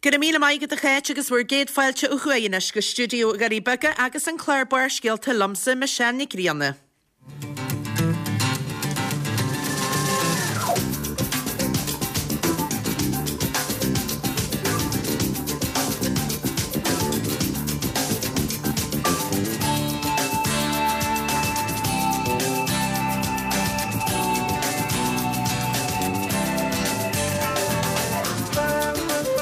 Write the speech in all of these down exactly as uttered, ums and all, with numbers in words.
Go raibh míle maith agat a Cháit agus bhur gcéad fáilte ó thuaidh anois go stiúideo Dhoirí Beaga agus an clár Barrscéalta liomsa, Michelle Nic Grianna.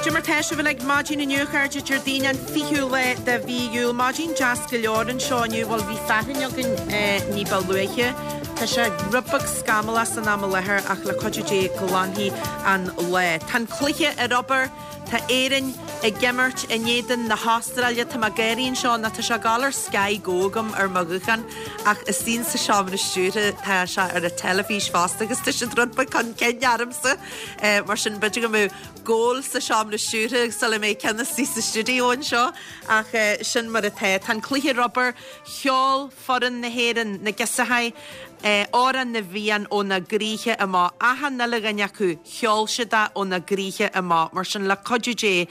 Cad é mar tá sibh uilig maidin inniu a chairde Déardaoin an fichiú lá de mhí Iúil. Maidin deas go leor anseo inniu, bhuel bhí fearthainn againn ní ba luaithe. Tá sé rud beag scamallach san am i láthair ach le cuidiú Dé glanfaidh an lá. Tá an cluiche ar obair, tá Éirinn ag imirt in éadan na hAstráile. Tá mé ag gáirí anseo nó tá sé ag gabháil ar Sky Go agam ar mo ghuthán ach istigh sa seomra stiúrtha tá sé ar an teilifís fosta agus tá siad rud beag chun cinn ormsa. Mar sin b'fhéidir go mbeidh gól sa seomra stiúrtha sula mbeidh ceann istigh sa stiúideo anseo ach sin mar atá. Tá an cluiche ar obair, cheol foireann na hÉireann na girseachaí Amhrán na bhFiann óna gcroíthe amach. Achan uile dhuine acu, cheol siad é óna gcroíthe amach. Mar sin, le cuidiú Dé,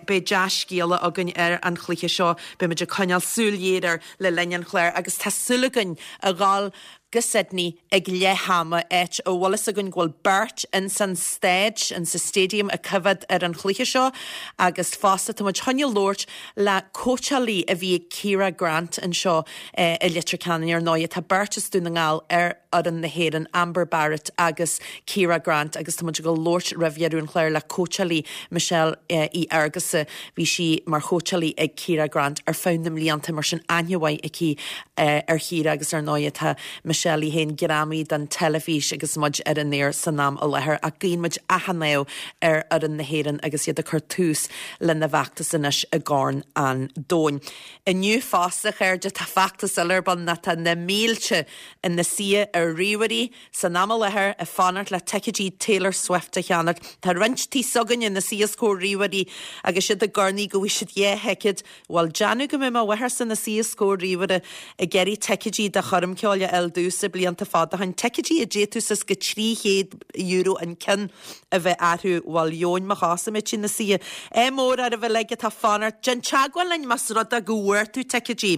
beidh dea-scéala againn ar an chluiche seo. Beidh muid ag coinneáil súil ghéar air le linn an chláir agus tá súil againn a dhul go Sydney ag leath ama, áit a bhfuil fhios againn go bhfuil beirt ins an staid, ins an stadium ag coimhéad ar an chluiche seo agus fosta tá muid chun labhairt le cóitseálaí a bhí ag Ciara Grant anseo i Leitir Ceanainn ar ndóigh. Tá beirt as Dún na nGall ar fhoireann na hÉireann, Amber Barrett agus Ciara Grant agus tá muid ag dul labhairt roimh dheireadh an chláir le cóitseálaí Michelle Uí Fhearghusa. Bhí sí mar chóitseálaí ag Ciara Grant ar feadh na mblianta mar sin aithne mhaith aici ar Chiara agus ar ndóigh tá Michelle í féin greamaithe don teilifís agus muid ar an aer san am i láthair ach guíonn muid achan ádh ar fhoireann na hÉireann agus iad ag cur tús lena bhfeachtas anois i gCorn an Domhain. Inniu fosta, a chairde, tá feachtas eile ar bun nó tá na mílte ina suí ar ríomhairí san am i láthair ag fanacht le ticéidí Taylor Swift a cheannacht. Tá roinnt tí s'againn ina suí os comhair ríomhairí agus siad ag urnaí go bhfaighidh siad dhá thicéad. Bhuel, déanamh go mbeidh mo mháthairsa ina suí os comhair ríomhaire ag iarraidh ticéidí do choirm ceoil a fháil domhsa blianta fada ó shin, ticéidí a d'fhéadfadh suas go trí chéad euro an ceann a bheith orthu. Bhuel, gheobhainn mo chos dá mbeinn ina suí. Ádh mór oraibh uilig atá ag fanacht. Déan teagmháil linn más rud é go bhfuair tú ticéidí.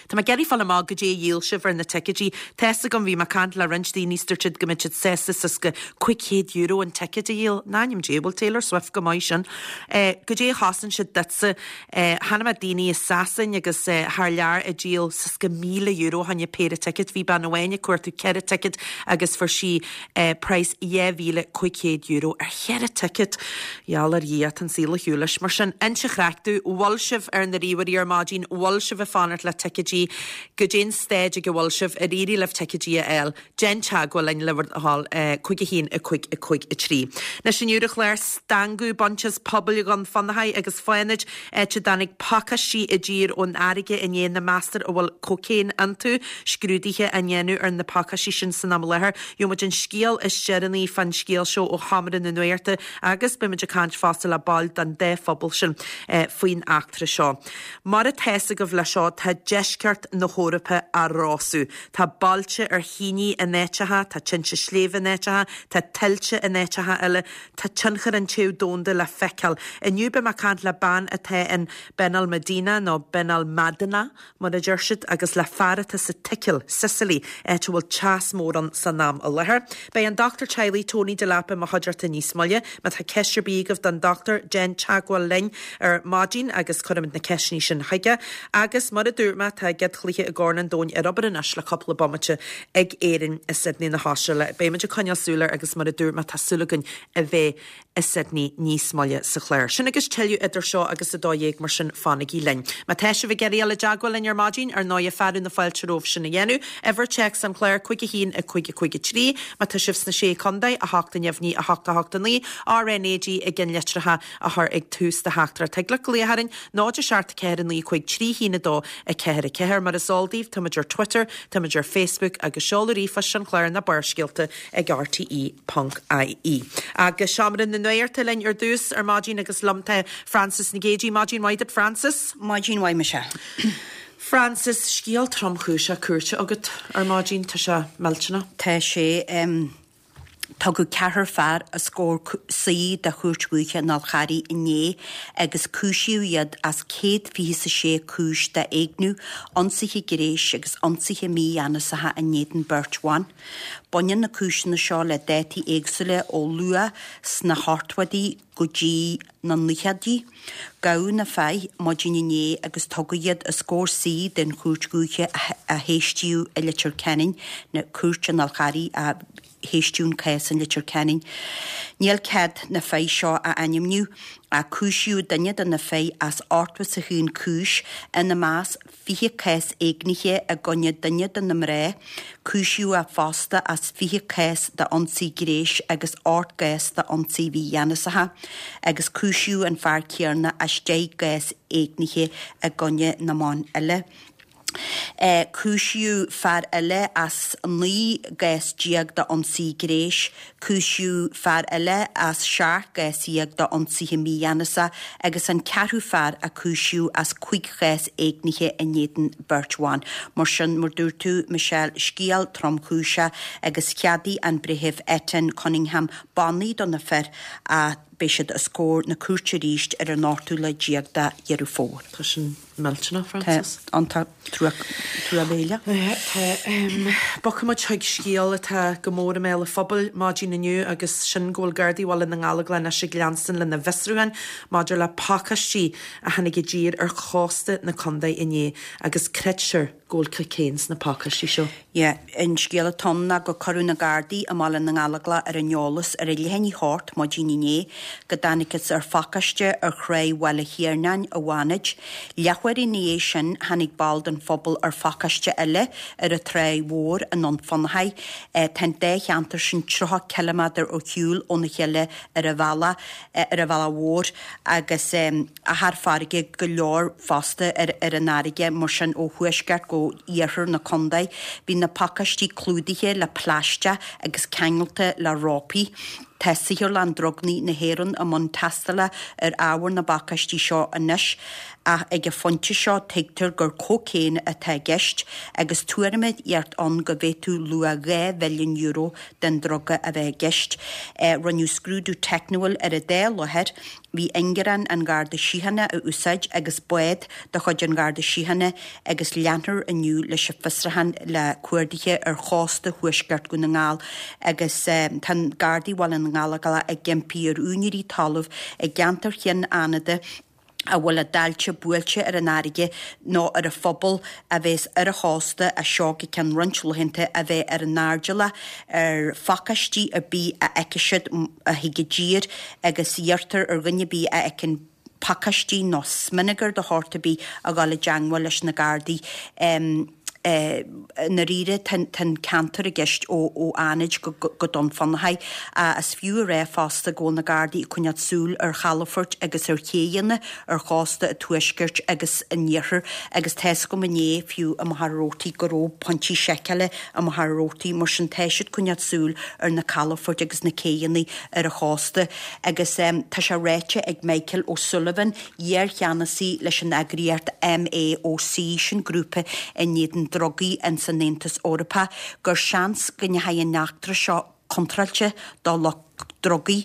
Tá mé ag iarraidh fáil amach goidé a dhíol sibh ar na ticéidí. Tá's agam, bhí mé ag caint le roinnt daoine is dúirt siad go mbeadh siad sásta suas go cúig chéad euro an ticéad a dhíol. In ainm Dé, bhfuil Taylor Swift go maith sin? Goidé a chosain siad duitse? Chonaic mé daoine i Sasain agus thar lear ag díol suas go míle euro fá choinne péire ticéad. Bhí bean amháin ag cuartú ceithre ticéad agus fuair sí praghas dhá mhíle cúig chéad euro ar cheithre ticéad. Gheall ar Dhia, tá an saol ar shiúl leis. Mar sin, inis an chraic domh, bhfuil sibh ar na ríomhairí ar maidin, bhfuil sibh ag fanacht le ticéidí, goidé'n staid ag a bhfuil sibh, ar éirigh libh ticéidí a fháil, déan teagmháil linn le bhur dtoil, cúig a haon, a cúig, a cúig, a trí. Anois inniu ar an chlár, stangadh bainte as pobail Dhún Fionnachaidh agus Fánaid, áit a dtáinig pacáistí i dtír ón fharraige inné ina meastar a bhfuil cócaon iontu. Scrúduithe á ndéanamh ar na pacáistí sin san am i láthair. Gheobhaidh muid an scéal is deireanaí fán scéal seo ó Sheomra na Nuachta agus beidh muid ag caint fosta le baill den dá phobal sin faoin eachtra seo. Mar atá fhios agaibh leis seo tá deisceart na hEorpa á róstadh. Tá bailte ar thine in áiteacha, tá tinte sléibhe in áiteacha, tá tuilte in áiteacha eile, tá tionchar an téamh domhanda le feiceáil. Inniu beidh mé ag caint le bean atá in Benalmadena nó Benalmádena mar a deir siad, agus le fear atá sa tSicil, Sicily, áit a bhfuil teas mór ann san am i láthair. Beidh an dochtúir teaghlaigh Tony Delap i mo chuideachta níos moille. Má tá ceist ar bith agaibh don dochtúir, déan teagmháil linn ar maidin agus cuirfimid na ceisteanna sin chuige. Agus mar a dúirt mé, tá a gcéad chluiche i gCorn an Domhain ar obair anois le cúpla bomaite ag Éirinn i Sydney na hAstráile. Beidh muid ag coinneáil súil air agus mar a dúirt mé, tá súil againn a bheith i Sydney níos moille sa chlár. Sin agus tuilleadh idir seo agus a dó dhéag, mar sin fanaigí linn. Má tá sibh ag iarraidh dul i dteagmháil linn ar maidin, ar ndóighe fearadh na fáilte romhaibh sin a dhéanamh. Uimhir téacs an chláir, cúig a haon, a cúig a cúig a trí. Má tá sibh sna Sé Chontae, a hocht a neamhní, a hocht a hocht a naoi, RnaG i gceannlitreacha a chur ag tús do theachtaireacht. Thig leat glaoch orainn, náid a seacht a ceathair a naoi cúig trí haon a dó a ceathair a ceathair. Mar is eol daoibh, táimid ar Twitter, táimid ar Facebook agus seoladh ríomhphoist an chláir ná Barrscéalta ag rte ponc ie. Agus Seomra na Nuachta linn ar dtús ar maidin agus liom tá Frances Nic Géadaigh. Maidin mhaith duit Frances. Maidin mhaith Michelle. Frances, scéal tromchúiseach cúirte agat ar maidin, tá sé millteanach. Tá sé. Tugadh ceathrar fear os comhair suí de Chúirt Dhúiche an Fhál Charraigh inné agus cúisíodh iad as céad fiche is a sé cúis d'éigniú, ionsaithe gnéis agus ionsaithe mígheanasacha in éadan beirt bhan. Baineann na cúiseanna seo le dátaí éagsúla ó luath sna hochtóidí go dtí na nóchaidí. Gabhadh na fir maidin inné agus tugadh iad os comhair suí den Chúirt Dhúiche a héistíodh i Leitir Ceanainn, na Cúirt an Fhál Charraigh a héistíodh an cás in Leitir Ceanainn. Níl cead na fir seo a ainmniú, ach cúisíodh duine de na fir as ochtó is a haon cúis, ina measc fiche cás éignithe i gcoinne duine de na mná. Cúisíodh é fosta as fiche cás d'ionsaí gnéis agus ocht gcás d'ionsaí mhígheanasacha, agus cúisíodh an fear céanna as deich gcás éignithe i gcoinne na mban eile. Cúisíodh fear eile as naoi gcás déag d'ionsaí gnéis, cúisíodh fear eile as seacht gcás dhéag d'ionsaithe mígheanasacha agus an ceathrú fear a cúisíodh as cúig chás éignithe in éadan beirt bhan. Mar sin, mar dúirt tú, Michelle, scéal tromchúiseach agus cheadaigh an Breitheamh Etienne Cunningham bannaí do na fir ach beidh siad os comhair na cúirte arís ar an ochtú lá déag de Dheireadh Fómhair. Tá sin millteanach, Frances. Tá an truamhéile. Tá. Bogfaidh muid chuig scéal atá go mór i mbéal an phobail maidin inniu agus sin go bhfuil Gardaí Bhaile na nGallóglach anois ag leanstan lena bhfiosrúchán maidir le pacáistí a tháinig i dtír ar chósta na contae inné agus creidtear go bhfuil cocaine sna pacáistí seo. Yeah, an scéal atá ann ná gur cuireadh na Gardaí i mBaile na nGallóglach ar an eolas ar a leath i ndiaidh a hocht maidin inné go dtángthas ar phacáiste ar thráigh Bhaile Thiarnáin i bhFánaid. Leathuair ina dhiaidh sin tháinig ball den phobal ar phacáiste eile ar an Tráigh Mhór i nDún Fionnachaidh. Tá an dá cheantar sin tríocha ciliméadar ar shiúl óna chéile ar an bhealach ar an bhealach mhór agus achar farraige go leor fosta ar ar an fharraige mar sin ó thuaisceart go iarthar na contae. Bhí na pacáistí clúdaithe le plaisteach agus ceangailte le rópaí. Tá Saotharlann Drugaí na hÉireann i mbun tástála ar ábhar na bpacáistí seo anois ach ag an phointe seo tuigtear gur cócaon atá i gceist agus tuairimíocht ann go bhféadfadh luach dhá mhilliún euro den druga a bheith i gceist. Rinneadh scrúdú teicniúil ar an dá láthair. Bhí ingearán an Gharda Síochána a úsáid agus bád de chuid an Gharda Síochána agus leanfar inniu leis an bhfiosrúchán le cuardaithe ar chósta thuaisceart Dhún na nGall agus tá Gardaí Bhaile na nGallóglach ag impí ar úinéirí talaimh i gceantar Chionn Fhánada a bhfuil a dtailte buailte ar an fharraige nó ar an phobal a bheas ar an chósta as seo go ceann roinnt laethanta a bheith ar an airdeall ar phacáistí ar bith a fheicfidh siad a thig i dtír agus iarrtar ar dhuine ar bith a fheiceann pacáistí nó smionagar de shórt ar bith a dhul i dteangmháil leis na Gardaí. I ndáiríre, tá an ceantar i gceist ó Fhánaid go Dún Fionnachaidh. Is fiú a rá fosta go bhfuil na Gardaí ag coinneáil súil ar chalafoirt agus ar chéidheanna ar chósta an tuaiscirt agus an iarthair agus tá 'fhios agam inné fiú i Machaire Rabhartaigh go raibh pointí seiceála i Machaire Rabhartaigh mar sin tá siad ag coinneáil súil ar na calafoirt agus na céidheanna ar an chósta agus tá sé ráite ag Michael O'Sullivan, iar-cheannasaí leis an eagraíocht MAOC, sin grúpa in éadan drugaí ins an Aontas Eorpach, gur seans go ndeachaigh an eachtra seo contráilte do lucht drugaí.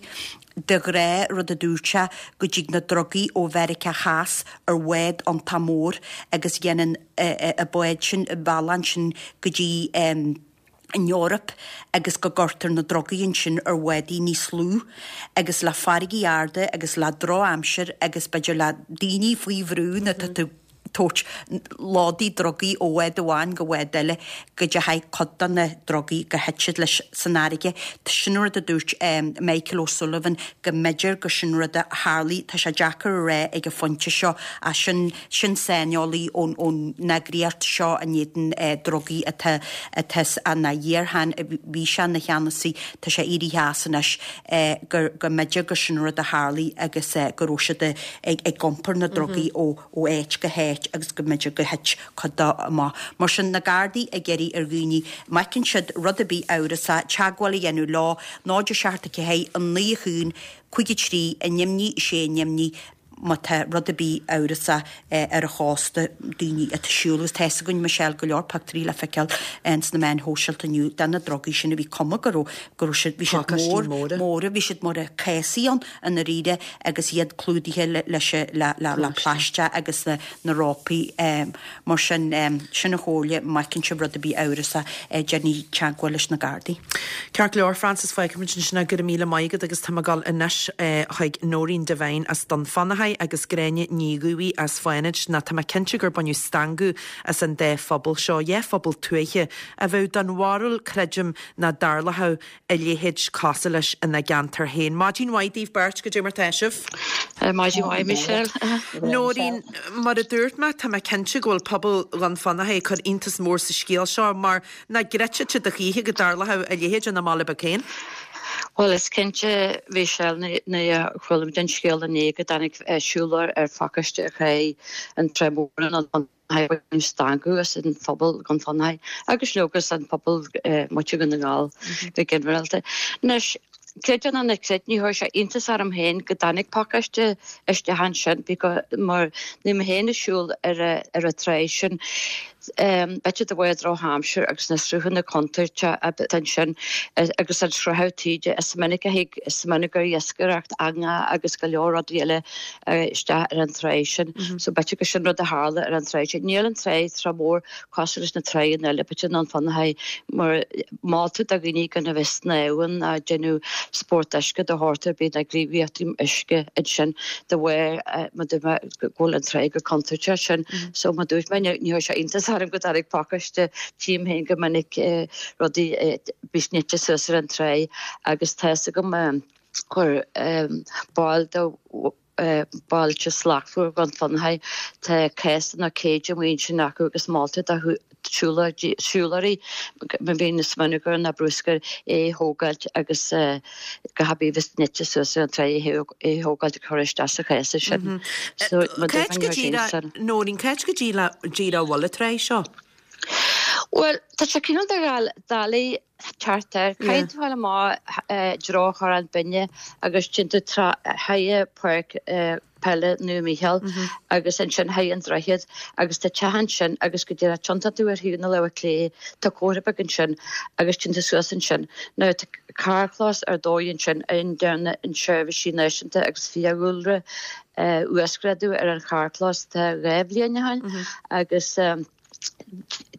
De ghnáth, rud a dúirt sé, go dtig na drugaí ó Mheiriceá Theas ar bhád iontach mór agus dhéanann an bád sin an bealach ansin go dtí an Eoraip agus go gcuirtear na drugaí ansin ar bhádaí níos lú agus le farraigí arda agus le drochaimsir agus b'fhéidir le daoine faoi bhrú nuair atá tú tabhairt lódaí drugaí ó bhád amháin go bhád eile go dteachaigh cuid de na drugaí go thit siad leis san fharraige. Sin rud a dúirt Michael O'Sullivan go mb'fhéidir gur sin rud a tharlaigh. Tá sé deacair a rá ag an phointe seo ach sin sin saineolaí ón ón eagraíocht seo in éadan drugaí atá atá ina iar-cheann bhí sé ina cheannasaí tá sé éirithe as anois gur go mb'fhéidir gur sin rud a tharlaigh agus go raibh siad ag ag iompar na drugaí ó ó áit go háit agus go mb'fhéidir gur thit cuid dó amach. Mar sin, na Gardaí ag iarraidh ar dhaoine, má fheiceann siad rud ar bith amhrasach, teagmháil a dhéanamh leo, náid a seacht a ceathair, a naoi a haon, cúig a trí, a neamhní, sé neamhní, má tá rud ar bith amhrasach ar an chósta, daoine atá ag siúl agus tá fhios againn Michelle go leor pictiúirí le feiceáil sna meáin shóisialta inniu de na drugaí sin a bhí cuma go raibh go raibh siad bhí siad mór móra bhí siad mar céasaí ann i ndáiríre agus iad clúdaithe le leis le le le plaisteach agus na na rópaí mar sin sin an chomhairle má fheiceann sibh rud ar bith amhrasach déanaigí teagmháil leis na Gardaí. Ceart go leor, Frances fágfaimid ansin é go raibh míle maith agat agus tá mé ag dul anois chuig Nóirín Devine as Dún Fionnachaidh agus Gráinne Ní Dhubhthaigh as Fánaid nó tá mé cinnte gur baineadh stangadh as an dá phobal seo, dhá phobal tuaithe, a bheadh den bharúil, creidim, nach dtarlódh a leithéid cosúil leis ina gceantar féin. Maidin mhaith daoibh beirt, goidé mar tá sibh? Maidin mhaith, Michelle. Nóirín, mar a dúirt mé, tá mé cinnte go bhfuil pobal Dhún Fionnachaidh ag cur iontas mór sa scéal seo mar nach gcreidfeadh siad a choíche go dtarlódh a leithéid ina mbaile beag féin. Bhuel, is cinnte, Michelle, nuair a chuala muid an scéal inné go dtáinig siúlóir ar phacáiste ar thráigh an Trá Mhór i nDún Fionnachaidh baineadh stangadh as an phobal Dhún Fionnachaidh agus leoga as an phobal muintir Dhún na nGall go ginearálta. Anois, creid é nó ná creid, ní chuir sé iontas orm féin go dtáinig pacáiste isteach ansin mar nuair mé féin ag siúl ar ar an tráigh sin, B'fhéidir de bharr drochaimsir agus na sruthanna contúirteacha atá ansin agus an sruthadh taoide, is minic a thig smionagar iascaireacht, eangach agus go leor rudaí eile isteach ar an tráigh sin. So b'fhéidir gur sin rud a tharla ar an tráigh sin. Níl an tráigh Trá Mhór cosúil leis na tráigheanna eile b'fhéidir i nDún Fionnachaidh mar moltar do dhaoine gan a bheith ag snámh ann ná déanamh spórt uisce de shórt ar bith ná gníomhaíochtaí uisce ansin de bharr mar dúirt mé go bhfuil an tráigh chomh contúirteach sin. So mar dúirt mé ní chuir sé iontas orm go dtáinig pacáiste tchím féin go minic rudaí bíos nite suas ar an tráigh agus tá fhios agam gur ball de Bailte Slachtmhar Dhún Fionnachaidh tá céasta nó céide amuigh ansin acu agus moltar do siúlóirí má bhíonn na smionagar nó bruscar é thógáilt agus gach ar bith a bheas nite suas ar an tráigh é thógáilt agus cur isteach sa chéasta sin. So má Cá háit go díreach, Nóirín, cá háit go díreach a bhfuil an tráigh seo? Bhuel, tá sé cineál de doiligh teacht air. Caithfidh tú fáil amach i dtreo Chorrán Binne agus téann tú thar páirc peile Naomh Mícheál agus ansin thar an droichead agus tá teach ansin agus go díreach tiontóidh tú ar thaobh na láimhe clé tá comhartha beag ansin agus téann tú suas ansin. Now tá carrchlós ar dóigh ansin a ndearna an Seirbhísí Náisiúnta agus Fiadhúlra uasghrádú ar an charrchlós tá dhá bhliain ó shin agus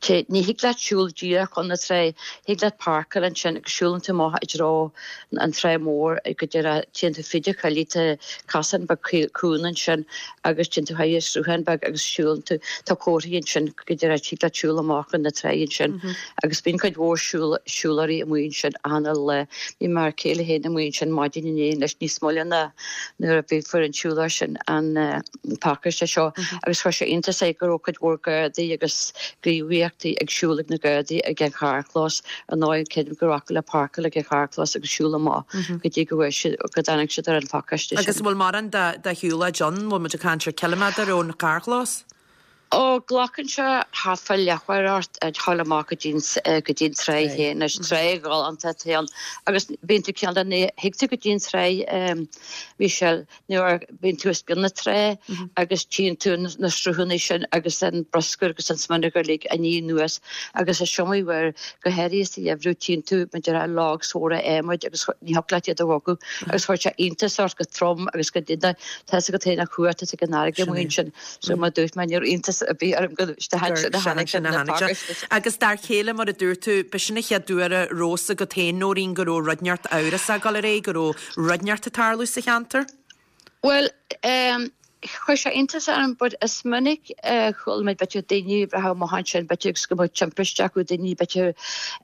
Ní thig leat siúl díreach chun na trá, thig leat páirceáil ansin agus siúlann tú amach i dtreo an trá mhór go díreach, téann tú fríd an choillidh, tá cosán beag cúng ansin agus téann tú thar an sruthán beag agus siúlann tú, tá comharthaí ansin go díreach, thig leat siúl amach chun na trá ansin agus bíonn cuid mhór siúlóirí amuigh ansin achan uile lá. Bhí m'fhear céile féin amuigh ansin maidin inné anois níos moille ná nuair a bhí fuair an siúlóir sin an pacáiste seo agus chuir sé iontas air go raibh cuid mhór Gardaí agus gníomhaíochtaí ag siúl ag na Gardaí ag an charrchlós. Ar ndóigh, creidim go raibh acu le páirceáil ag an charrchlós agus siúl amach go dtí go bhfuair siad, go dtáinig siad ar an phacáiste sin. Agus an bhfuil mórán de shiúlóid ann? Bhfuil muid ag caint ar ciliméadar ón charrchlós? Ó, glacann sé thart fá leathuair ort a ghabháil amach go dtí an, go dtí an tráigh féin. Is tráigh ghalánta atá ann agus bíonn tú cineál de, ní thig tú go dtí an tráigh, Michelle, nuair a bhíonn tú os cionn na trá agus tchíonn tú na sruthanna sin agus an bruscar agus an smionagar uilig ag ní anuas agus is iomaí uair, go háirithe sa gheimhreadh, tchíonn tú mar a déarfá logs mhóra adhmaid agus ní thiocfadh leat iad a bhogadh agus chuir sé iontas ort chomh trom agus go dtí tá fhios agat féin an chumhacht atá ag an fharraige amuigh ansin so mar a dúirt mé ní raibh iontas ar bith orm go isteach ansin a tháinig sin na pacáistí. Agus d'fhear céile mar a dúirt tú, b'shin an chéad uair a raibh fhios agat féin, Nóirín, go raibh rud inteacht amhrasach ag dul ar aghaidh, go raibh rud inteacht ag tarlú sa cheantar? Bhuel, chuir sé iontas orm, but is minic a chuala muid b'fhéidir daoine ag rachadh amach ansin, b'fhéidir agus go mbeadh timpiste acu, daoine b'fhéidir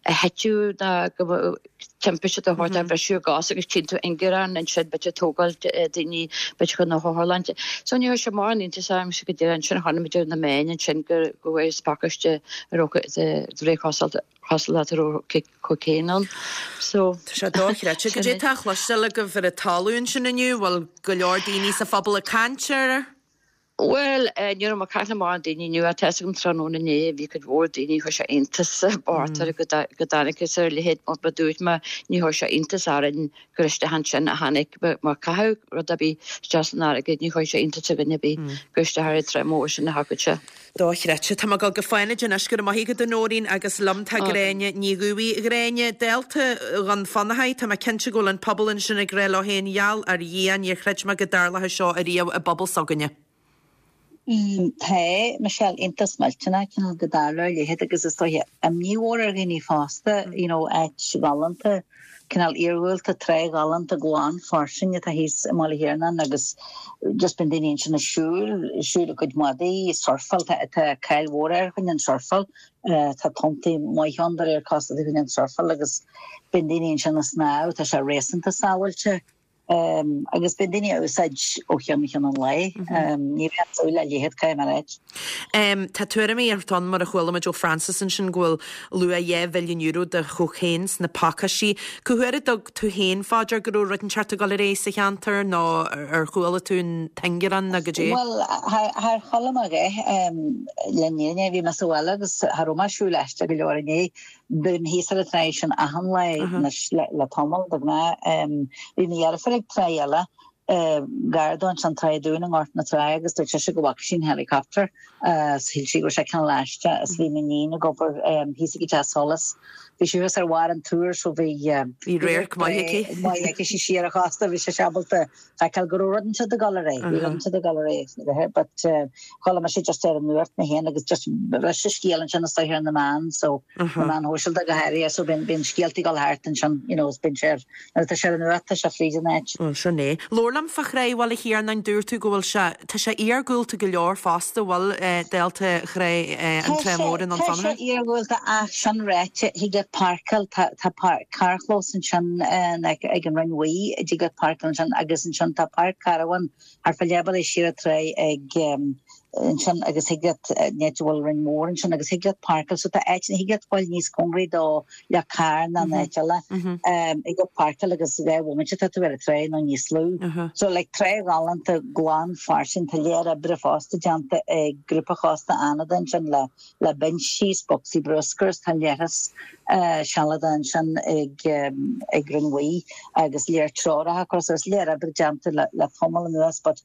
a thiteadh nó go mbeadh timpiste de shórt a bhriseadh a gcos agus tchíonn tú ingearán ansin b'fhéidir ag tógáil daoine b'fhéidir chun na hotharlainne. So ní chuir sé mórán iontas orm go dtí ansin chonaic muid ar na meáin ansin go bhfuarthas pacáiste a raibh de réir cosúlachta a raibh cocaine ann. So. Tá sé dochreidte. Goidé tá á chloisteáil agaibh ar an talamh ansin inniu? Bhfuil go leor daoine sa phobal ag caint air? Bhuel, ní raibh mé ag caint le mórán daoine inniu, tá fhios agam tráthnóna inné bhí cuid mhór daoine chuir sé iontas ort go dtáinig ar a leithéid mar a dúirt mé ní chuir sé iontas orainn gur isteach ansin a tháinig má caitheadh rud ar bith isteach san fharraige ní chuir sé iontas ar dhuine ar bith gur isteach ar an Tráigh Mhór sin a thagadh sé. Dochreidte. Tá mé ag dul go Fánaid anois, go raibh maith agat a Nóirín agus liom tá Gráinne Ní Dhubhaigh. A Ghráinne, dálta Dhún Fionnachaidh, tá mé cinnte go bhfuil an pobal ansin ag rá leo féin, gheall ar Dhia, níor chreid mé go dtarlódh seo ariamh i bpobal s'againne. Tá, Michelle, iontach millteanach cineál go dtarlódh a leithéid agus is dóiche imní mhór ar dhaoine fosta, you know, áit ghalánta, cineál iargúlta, trá ghalánta glan fairsing atá thíos i mBaile Thiarnáin agus just bíonn daoine ansin ag siúl, siúl a gcuid madaí, surfáil, tá, tá cáil mhór air fá choinne an surfáil, tá tonntaí maith ann de réir cosúlachta fá choinne an surfáil agus bíonn daoine ansin ag snámh, tá sé réasúnta sábháilte. Agus bíonn daoine á úsáid ó cheann go ceann an lae. Ní bheadh súil le leithéid caithfidh mé a ráit. Tá tuairimí ar ann mar a chuala muid ó Francis ansin go bhfuil luach dhá mhilliún euro de chocaine sna pacáistí. Cá huair a dtug tú féin fá dear go raibh rud inteacht ag dul ar aghaidh sa cheantar nó ar chuala tú an t-ingearán nó goidé? Bhuel, char chuala mé a dhath le fírinne. Bhí mé sa bhaile agus cha raibh mé ag siúl aisteach go leor inné. Bím thíos ar an tráigh sin achan lá anois le tamall de ghnáth. Bhí mo dheirfiúr ag tráigh eile gar dó ansin, Tráigh Dúin i nGort na Trá agus dúirt sise go bhfaca sí an helicopter is shíl sí go raibh sé cineál aisteach is bhí m'iníon ag obair thíos ag an teach solais. Bhí sí thuas ar bharr an túir so bhí Bhí radharc maith aici. maith aici sí siar an chósta bhí sí ábalta feiceáil go raibh rud inteacht ag dul ar aghaidh, bhí rud inteacht ag dul ar aghaidh but chuala mise just ar an nuacht mé féin agus just bhris an scéal ansin is dóiche ar na meáin so na meáin shóisialta go háirithe so bíonn bíonn scéaltaí ag dul thart ansin you know is bíonn sé ar nuair atá sé ar an nuacht tá sé fríd an áit. Bhuel sin é. Labhair liom fá Thráigh Bhaile Thiarnáin dúirt tú go bhfuil sé tá sé iargúlta go leor fosta bhfuil dálta Thráigh an Tá Trá sé Mhór in tá sé iargúlta ach sin ráite thig leat páirceáil tá tá carrchlós ansin ag an Rinn Bhuí a dtig leat páirceáil ansin agus ansin tá páirc carbhán thart fá leath bealaigh siar an tráigh ag ansin agus thig leat an áit a bhfuil Rinn Mhór ansin agus thig leat páirceáil so tá áiteanna thig leat fáil níos cóngaraí do le carr ná an áit eile. Thig leat páirceáil agus dhá bhomaite tá tú ar an tráigh nó níos lú. So like tráigh ghalánta glan fairsing tá lear oibre fosta déanta ag Grúpa Chósta Fhánada ansin le le binsí is bocsaí bruscair is tá leithreas sealadach ansin ag ag Rinn Bhuí agus lear treoracha acu so is lear oibre déanta le le tamall anuas but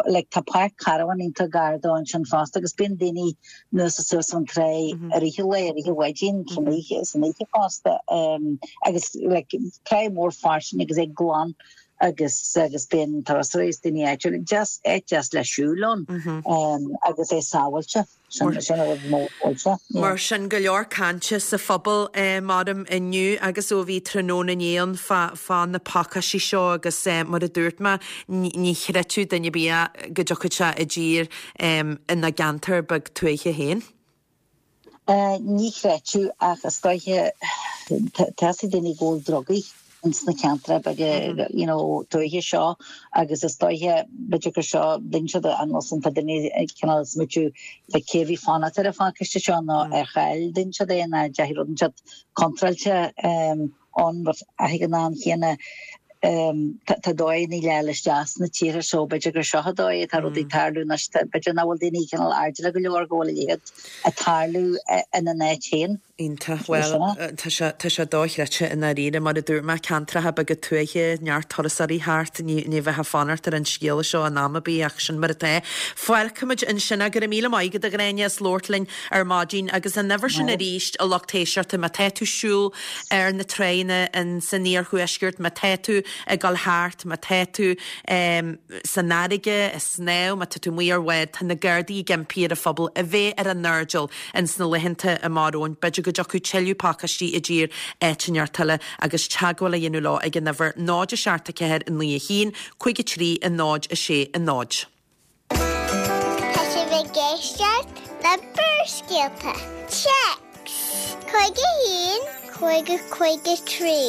like tá páirc carbhán iontach gar dó ansin fosta agus bíonn daoine anuas is suas an tráigh i rith an lae, i rith an mhaidin, san oíche, san oíche fosta agus like tráigh mhór fairsing agus é glan agus agus bíonn turasóirí is daoine áitiúla just áit deas le siúl ann agus é sábháilte. Sin sin an rud mór fáilte. Mar sin go leor cainte sa phobal maram inniu agus ó bhí tráthnóna inné ann fá fá na pacáistí seo agus mar a dúirt mé ní chreidfeadh duine ar bith go dtiocfadh sé i dtír ina gceantar beag tuaithe féin. Ní chreidfeadh ach is dóiche tá a fhios ag daoine go bhfuil drugaí ins na ceantracha beaga you know tuaithe seo agus is dóiche b'fhéidir gur seo duine siad an bhfuil tá daoine ag cineál smaoitiú le cé a bhí fanacht ar an phacáiste seo nó ar chaill duine siad é nó deich rud siad contráilte ann but ag an am chéanna tá dóigh ní le isteach sna tíortha seo b'fhéidir gur seo an dóigh atá rudaí ag tarlú anois b'fhéidir nach bhfuil daoine cineál airdeallach go leor go bhfuil a leithéid ag tarlú ina n-áit féin. Iontach. Bhuel, tá sé, tá sé dochreidte i ndáiríre. Mar a dúirt mé, ceantracha beaga tuaithe, neart turasóirí thart, ní, ní bheifeá ag fanacht ar an scéala seo in am ar bith ach sin mar atá. Fágfaimid ansin é. Go raibh míle maith agat a Ghráinne as labhairt linn ar maidin agus an uimhir sin arís a lucht éisteachta má tá tú siúl ar na tráigheanna in san iarthuaisceart, má tá tú ag dul thart, má tá tú san fharraige, ag snámh, má tá tú amuigh ar bhád, tá na Gardaí ag impí ar an phobal a bheith ar a n-airdeall ins na laethanta amach romhainn. B'fhéidir go dtiocfadh tuilleadh pacáistí i dtír áit inteacht eile agus teagmháil a dhéanamh leo ag an uimhir náid a seacht a ceathair naoi a haon, cúig a trí a náid a sé a náid. Tá sibh ag éisteacht le Barrscéalta. Téacs cúig a haon, cúig a cúig a trí.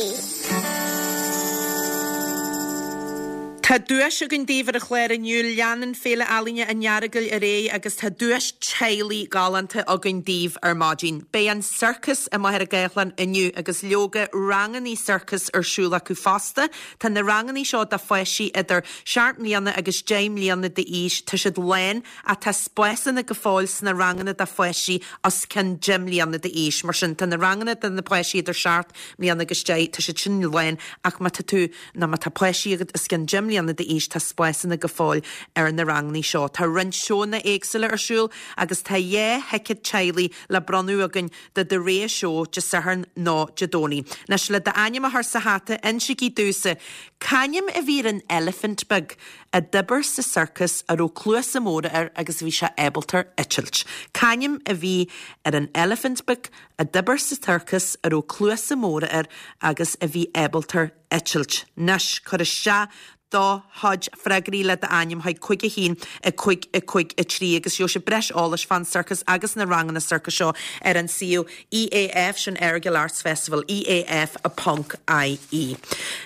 Tá Tá duais againn daoibh ar an chlár inniu, leanann Féile Ealaíne an Earagail ar aghaidh agus tá duais teaghlaigh galánta againn daoibh ar maidin. Beidh an sorcas i Machaire Gathlán inniu agus leoga rangannaí sorcais ar siúl acu fosta. Tá na rangannaí seo do pháistí idir seacht mbliana agus deich mbliana d'aois. Tá siad lán ach tá spásanna go fóill sna ranganna do pháistí os cionn deich mbliana d'aois. Mar sin tá na ranganna do na páistí idir seacht mbliana agus deich, tá siad sin lán ach má tá tú nó má tá páistí agat os cionn deich mbliana d'aois tá spásanna go fóill ar na rangannaí seo. Tá roinnt seónna éagsúla ar siúl agus tá dhá thicéad teaghlaigh le bronnadh againn do do rogha seó Dé Sathairn nó Dé Domhnaigh. Anois le d'ainm a chur sa hata, insígí domhsa, c'ainm a bhí ar an eilifint beag a d'oibir sa sorcas a raibh cluasa móra air agus a bhí sé ábalta eitilt. C'ainm a bhí ar an eilifint beag a d'oibir sa sorcas a raibh cluasa móra air agus a bhí ábalta eitilt. Anois cuir isteach do chuid freagraí le d'ainm chuig cúig a haon a cúig a cúig a trí agus gheobhaidh sibh breis eolais fán sorcas agus na ranganna sorcais seo ar an suíomh EAF sin Errigal Arts Festival EAF ponc IE.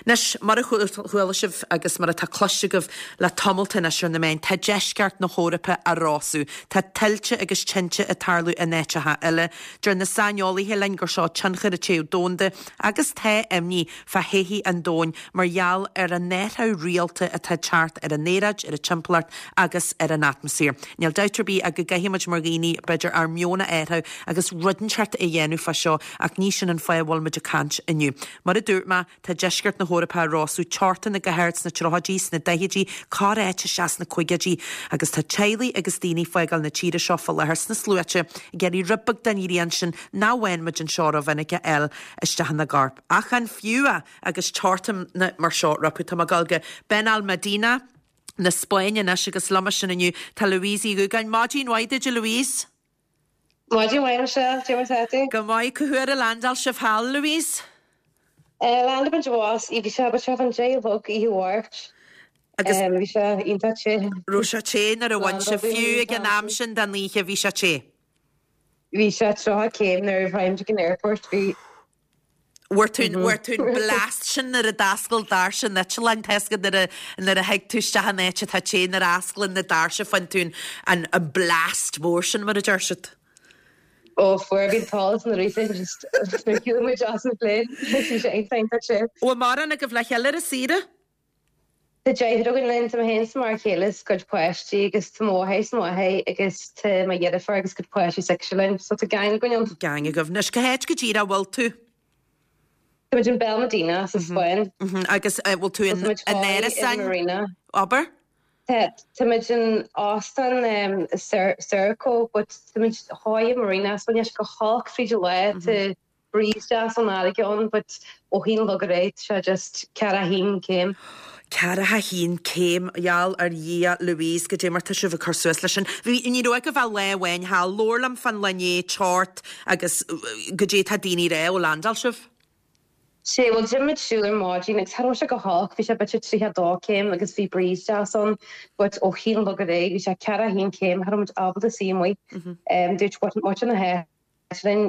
Anois mar a chuala sibh agus mar atá cloiste agaibh le tamalt anois ar na meáin, tá deisceart na hEorpa á róstadh. Tá tuilte agus tinte ag tarlú in áiteacha eile. Deir na saineolaithe linn gur seo tionchar an téamh domhanda agus tá imní fá thodhchaí an domhain mar gheall ar an athrú rialta atá ag teacht ar an aeráid, ar an timpeallacht agus ar an atmaisféar. Níl dabht ar bith ach go gcaithfidh muid mar dhaoine b'fhéidir ár meon a athrú agus rud inteacht a dhéanamh fá seo ach ní sin an fáth a bhfuil muid ag caint inniu. Mar a dúirt mé tá deisceart na hEorpa á róstadh teochtanna go hard sna tríochaidí, sna daichidí, corráit isteach sna caogaidí agus tá teaghlaigh agus daoine ag fágáil na tíre seo fá láthair sna sluaite ag iarraidh rud beag den ghrian sin nach bhfaigheann muid anseo rómhinic a fháil isteach ina gcorp. Ach an fiú é agus teochtanna mar seo rompu tá mé ag dul go Benalmádena na Spáinne anois agus liom ansin inniu tá Louise Uí Dhúgáin. Maidin mhaith duit Louise. Maidin mhaith Michelle, Cad é mar atá tú? Go maith cá huair a landáil sibh thall Louise? Landáil muid abhus bhí sé bhí sé an dé bhog oíche Mháirt. Agus Bhí sé iontach te. raibh sé te nuair a bhain sibh fiú ag an am sin den oíche bhí sé te. Bhí sé tríocha céim nuair a bhí ag an airport bhí Bhfuair tú bhfuair tú an blast sin nuair a d'oscail doirse an eitleáin tá a fhios agat nuair a nuair a thig tú isteach in áit atá te nuair a osclaíonn na doirse faigheann tú an an blast mór sin mar a deir siad. ó fuair bhí tá na rí just muid as an plane bhí sé iontach te. Bhfuil mórán agaibh le chéile ar an saoire? Tá deichniúr againn linn tá mé féin is mo fhear céile is cuid páistí agus tá mo mháthair is mo mháthair agus tá mo dheirfiúr agus cuid páistí s'aici linn, so tá gang againn ann. Gang agaibh. Anois cá háit go díreach a bhfuil tú? Tá muid in Benalmádena sa Spáinn. Agus bhfuil tú in Tá muid in in árasán Marina. Abair? Tá tá muid in óstán um, Serco, but tá muid thall i Marina, so níos go holc fríd an lá tá breeze deas an fharraige ann, but ó haon a chlog ar aghaidh sé just ceathracha a haon céim. Ceathracha a haon céim gheall ar Dhia Louise cad é mar tá sibh ag cur suas leis sin. Bhí ní raibh agaibh ach lá amháin thall labhair liom fán lá inné teocht agus cad é tá daoine rá ó landáil sibh. Sé well d'imigh muid siúl ar maidin agus tharla sé go holc, bhí sé b'fhéidir tríocha dó céim agus bhí breeze deas ann, but ó haon a chlog ar aghaidh bhí sé ceathracha a haon céim, cha raibh muid ábalta suí amuigh. Um, dúirt muintir na háite linn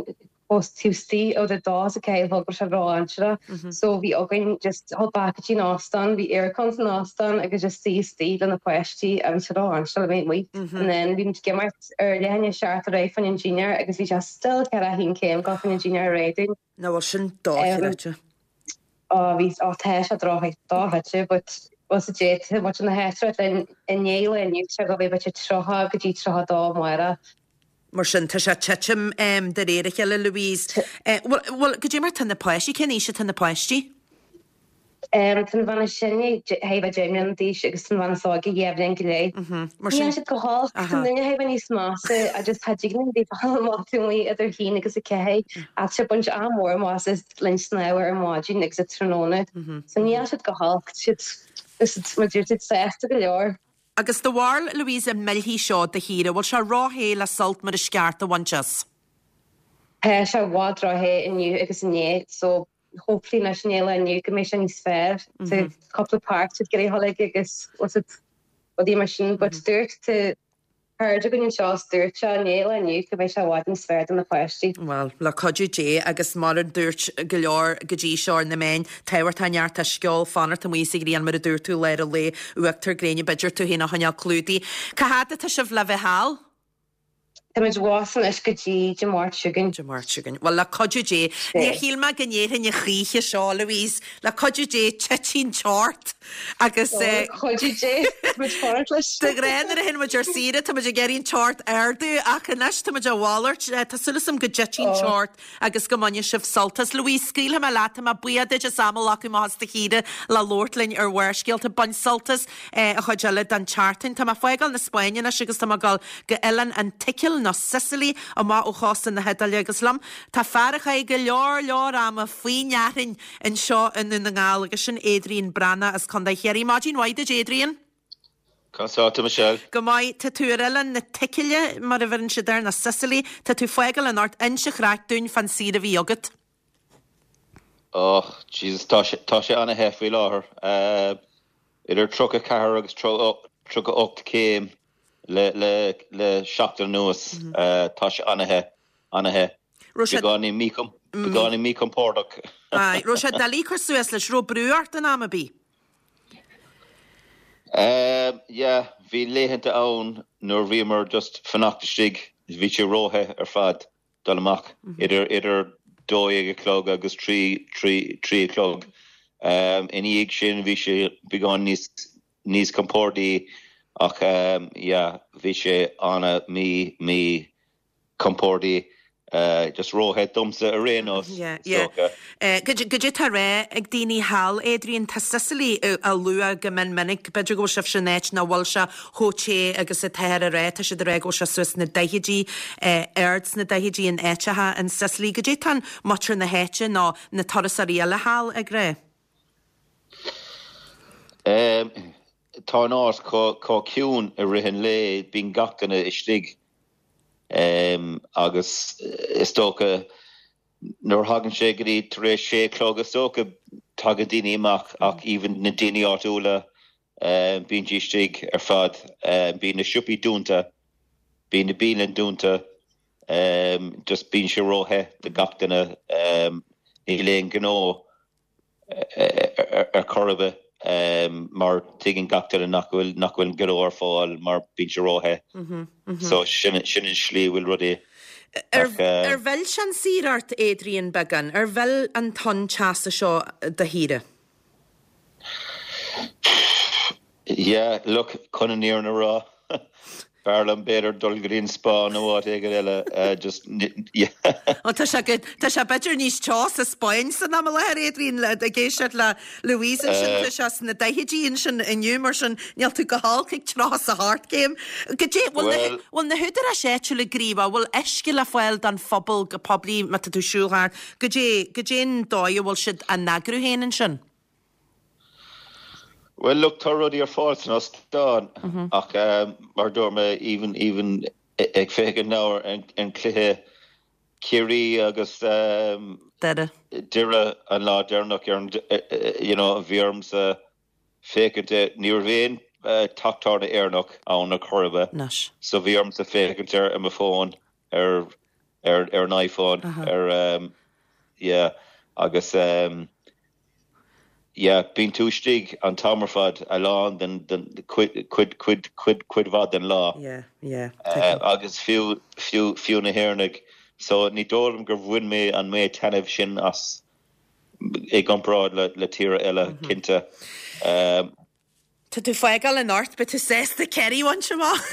fós taobh istigh ó a dó is a ceathair a chlog raibh sé ródhainséarach. So bhí againn just dul back go dtí an óstán, bhí aircon san óstán agus just suí istigh le na páistí a bhí sé ródhainséarach le bheith amuigh. And then bhí muid ag imeacht ar leath i ndiaidh a seacht ar aghaidh fá choinne an dinnéar agus bhí sé still ceathracha a haon céim go fá choinne an dinnéar ar aghaidh dúinn. Ná bhfuil sin dochreidte. Ó bhí ó tá sé droch dochreidte, but was a dé muid na háite linn inné le inniu sé go bhí b'fhéidir tríocha go dtí tríocha dó amárach. Mar sin tá sé ag titim um, de réir a chéile Louise. Eh, Bhuel well, cad é mar tá na páistí cén aois atá na páistí? Um, Tá an bhean is sine chóir a bheith deich mbliana d'aois agus tá an bhean is óige dhá bhliain go leith. Mar Ní sin siad go holc Aha. tá duine bheith níos measa a just tá digna daofa idir haon agus a ceathair a sé baint an-mhór amach as linn snámh ar maidin agus a tráthnóna. So ní siad go holc siad mar dúirt siad sásta go leor. Agus do bharúil Louise an millfidh seo do shaoire, bhfuil sé róthe le sult mar is ceart a bhaint as. Tá sé i bhfad róthe inniu agus inné, so hopefully leis an lá inniu go mbeidh sé níos fearr Tá cúpla páirc siad ag iarraidh agus was it rudaí mar sin, but dúirt Cairde againn anseo is dúirt sé inné le inniu go mbeidh sé i bhfad níos fearr do na páistí. Bhuel, le cuidiú Dé agus mar a dúirt go leor go dtí seo ar na meáin, tábhachtach neart uisce a ól, fanacht amuigh sa ghrian mar a dúirt tú lár an lae, uachtar gréine, b'fhéidir tú féin a choinneáil clúdaithe. Cá fhad atá sibh le bheith thall? Táimid abhus anois go dtí Dé Máirt seo chugainn. Dé Máirt seo chugainn. Bhuel, le cuidiú Dé. Níor shíl mé go ndéarfainn a choíche seo, Louise. Le cuidiú Dé, titfidh an teocht agus. Ó, le cuidiú Dé, táimid ag fanacht leis. De ghnáth nuair a théann muid ar saoire, táimid ag iarraidh an teocht a ardú ach anois táimid a mhalairt. Tá súil agam go dtitfidh an teocht agus go mbainfidh sibh sult as. Louise, scaoilfidh mé leat, tá mé buíoch duit as am a ghlacadh amach as do shaoire le labhairt linn ar Bharrscéalta. Bain sult as an chuid eile den tseachtain. Tá mé ag fágáil na Spáinne anois agus tá mé ag dul go Oileán an tSicil nó Sicily amach ó chósta na hIodáile agus liom tá fear a chaith go leor leor ama faoin fhearthainn anseo i nDún na nGall agus sin Adrian Breathnach as Contae Chiarraí. Maidin mhaith duit Adrian. Conas tá tú Michelle? Go maith. Tá tú ar Oileán na Sicile mar a bheireann siad air nó Sicily. Tá tú ag fágáil anocht. Inis an chraic dúinn fán saoire a bhí agat. Och, Jesus, tá sé, tá sé an-the faoi láthair. Uh, idir tríocha a ceathair agus tríocha ocht céim le, le, le seachtain anuas. Uh, tá sé an-the, an-the. Raibh sé Beagáinín míchom, beagáinín míchompordach. Aye, raibh sé doiligh cur suas leis, raibh brú ort in am ar bith? Um, yeah, bhí laethanta ann nuair bhíomar just fanacht istigh, bhí sé róthe ar fad dul amach idir idir dó dhéag a chlog agus trí trí trí a chlog. Um, ina dhiaidh sin bhí sé beagán níos níos compordaí ach um, yeah, bhí sé ana mí míchompordaí uh, just róthe domsa ar aon nós Yeah, yeah. Eh, Cad é tá á rá ag daoine thall Adrian tá Sicily á lua go mion minic, b'fhéidir go bhfuil sibh sin áit nach bhfuil sé chomh te agus atáthar a rá, tá siad ag rá go bhfuil sé suas sna daichidí ard sna daichidí in áiteacha in Sicily. Cad é tá muintir na háite nó na turasóirí eile thall ag rá. Um, tá an áit chomh ciúin i rith an lae bíonn gach duine istigh um, agus is dócha nuair thagann sé go dtí tar éis sé chlog is dócha tagann daoine amach ach even na daoine áitiúla um, bíonn siad istigh ar fad um, bíonn na siopaí dúnta bíonn na bialanna dúnta um, just bíonn sé róthe do gach duine um, níl aon gnó ar ar chor ar bith um, mar tuigeann gach duine nach bhfuil nach bhfuil gnó ar fáil mar bíonn sé róthe so sin sin an slí bhfuil rudaí Ar Ach, eh, ar mhill sé an saoire ort Adrian beagán, ar mhill an tonn teasa seo do shaoire? Yeah, look, chun an fhírinne a rá b'fhearr liom b'fhéidir dul go dtí an spa nó áit éigin eile uh, just yeah. Ó tá sé go tá sé b'fhéidir níos teo sa Spáinn san am i láthair Adrian le ag éisteacht le Louise ansin tá sé sna daichidí ansin inniu mar sin níl tú go holc ag tríocha a hocht céim. Cad é bhfuil na Well- bhfuil na húdaráis áitiúla gníomhach, bhfuil uisce le fáil don phobal go poiblí má tá tú ag siúl thart, cad é cad é an dóigh a bhfuil siad á n-eagrú féin ansin. Well, look, tá rudaí ar fáil san óstán ach um, mar dúirt mé even even ag féachaint ar an, an cluiche Ciarraí agus um, Doire. Doire an lá deireanach ar an eh, eh, you know, bhí ormsa féachaint eh, ní raibh aon uh, teachtaireacht Éireannach ann ar chor ar bith. Anois. So bhí ormsa féachaint ar ar mo fón ar ar ar an iPhone ar um, yeah, agus um, yeah, bíonn tú istigh an t-am ar fad a lán den den cuid cuid cuid cuid cuid mhaith den lá. Yeah, yeah. Uh, agus fiú fiú fiú na hÉireannaigh so ní dóigh liom gur bhain mé an méid taitnimh sin as i gcomparáid le le tíortha eile cinnte. Um, Tá tú ag fágáil anocht, beidh tú sásta Kerry a bhaint amach.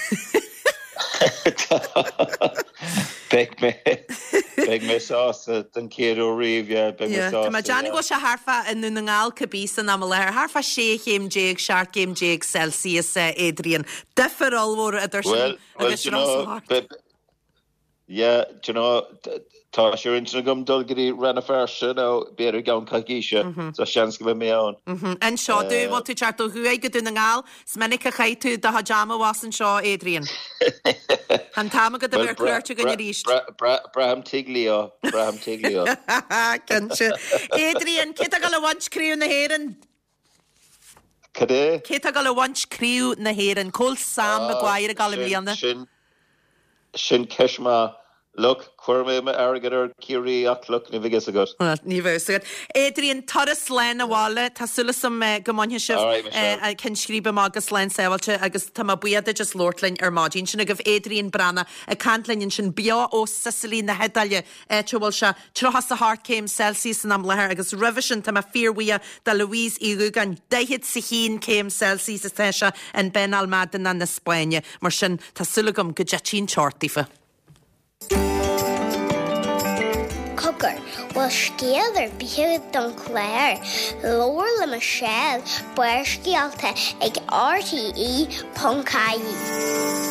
Beidh mé beidh mé sásta den chéad uair riamh, yeah, beidh mé Yeah, Tá mé sásta, déanamh yeah. go bhfuil sé thart fá i nDún na nGall cibé san am i láthair, thart fá sé chéim déag seacht gcéim déag Celsius eh, Adrian. Difear ollmhór idir sin Well, well, agus do you tríocha know, a hocht. but, yeah, do you know, t- tá sé ar intinn agam dul go dtí Rann na Feirste nó b'fhéidir i gceann coicíse, so seans go mbeidh mé ann. Mhm. Anseo dú bhfuil tú teacht ó thuaidh go Dún na nGall, is minic a chaith tú do chuid ama abhus anseo Adrian. An t-am agat a bheith ar cuairt againn arís. Braithim tigh Leo, braithim tigh Leo. Cinnte. Adrian, cé tá ag gabháil a bhaint craobh na hÉireann? Cad é? Cé tá ag gabháil a bhaint craobh na hÉireann, Cá bhfuil Sam Maguire ag gabháil i Sin- mbliana. Sin Sin ceist maith. Look, chuir mé m'airgead ar Ciarraí ach look, ní bheidh a fhios agat. Bhuel, ní bheidh a fhios agat. Adrian, turas slán abhaile, tá súil agam go mbainfidh sibh ceann scríbe amach go slán sábháilte agus tá mé buíoch duit as labhairt linn ar maidin. Sin agaibh Adrian Breathnach ag caint linn ansin beo ó Sicily na hIodáile, áit a bhfuil sé tríocha 's a hocht céim Celsius san am i láthair agus roimhe sin tá mé fíorbhuíoch de Louise Uí Dhúgáin, daichead 's a haon céim Celsius atá sé in Benalmádena na Spáinne. Mar sin, tá súil agam go dtitfidh an teocht daofa. Cogar, bhfuil scéal ar bith agat don chlár? Labhair le Michelle, Barrscéalta ag rte ponc ie.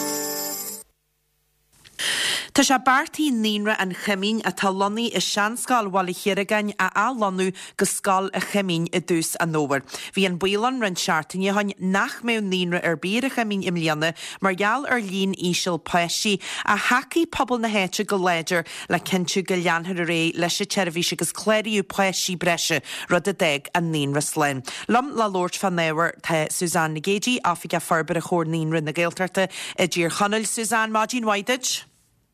Tá sé beartaithe Naíonra an Choimín, atá lonnaithe i Seanscoil Bhaile Chiaragáin, a athlonnú go Scoil a' Choimín i dtús an fhómhair. Bhí an baol ann roinnt seachtainí ó shin nach mbeadh naíonra ar bith ar an Choimín i mbliana mar gheall ar líon íseal páistí, ach thacaigh pobal na háite go láidir le cinntiú go leanfar ar aghaidh leis an tseirbhís agus cláraíodh páistí breise, rud a d'fhág an naíonra slán. Liom le labhairt fán ábhar tá Suzanne Nic Géidigh, Oifigeach Forbartha Chomhar Naíonraí na Gaeltachta i dTír Chonaill. Suzanne, maidin mhaith duit.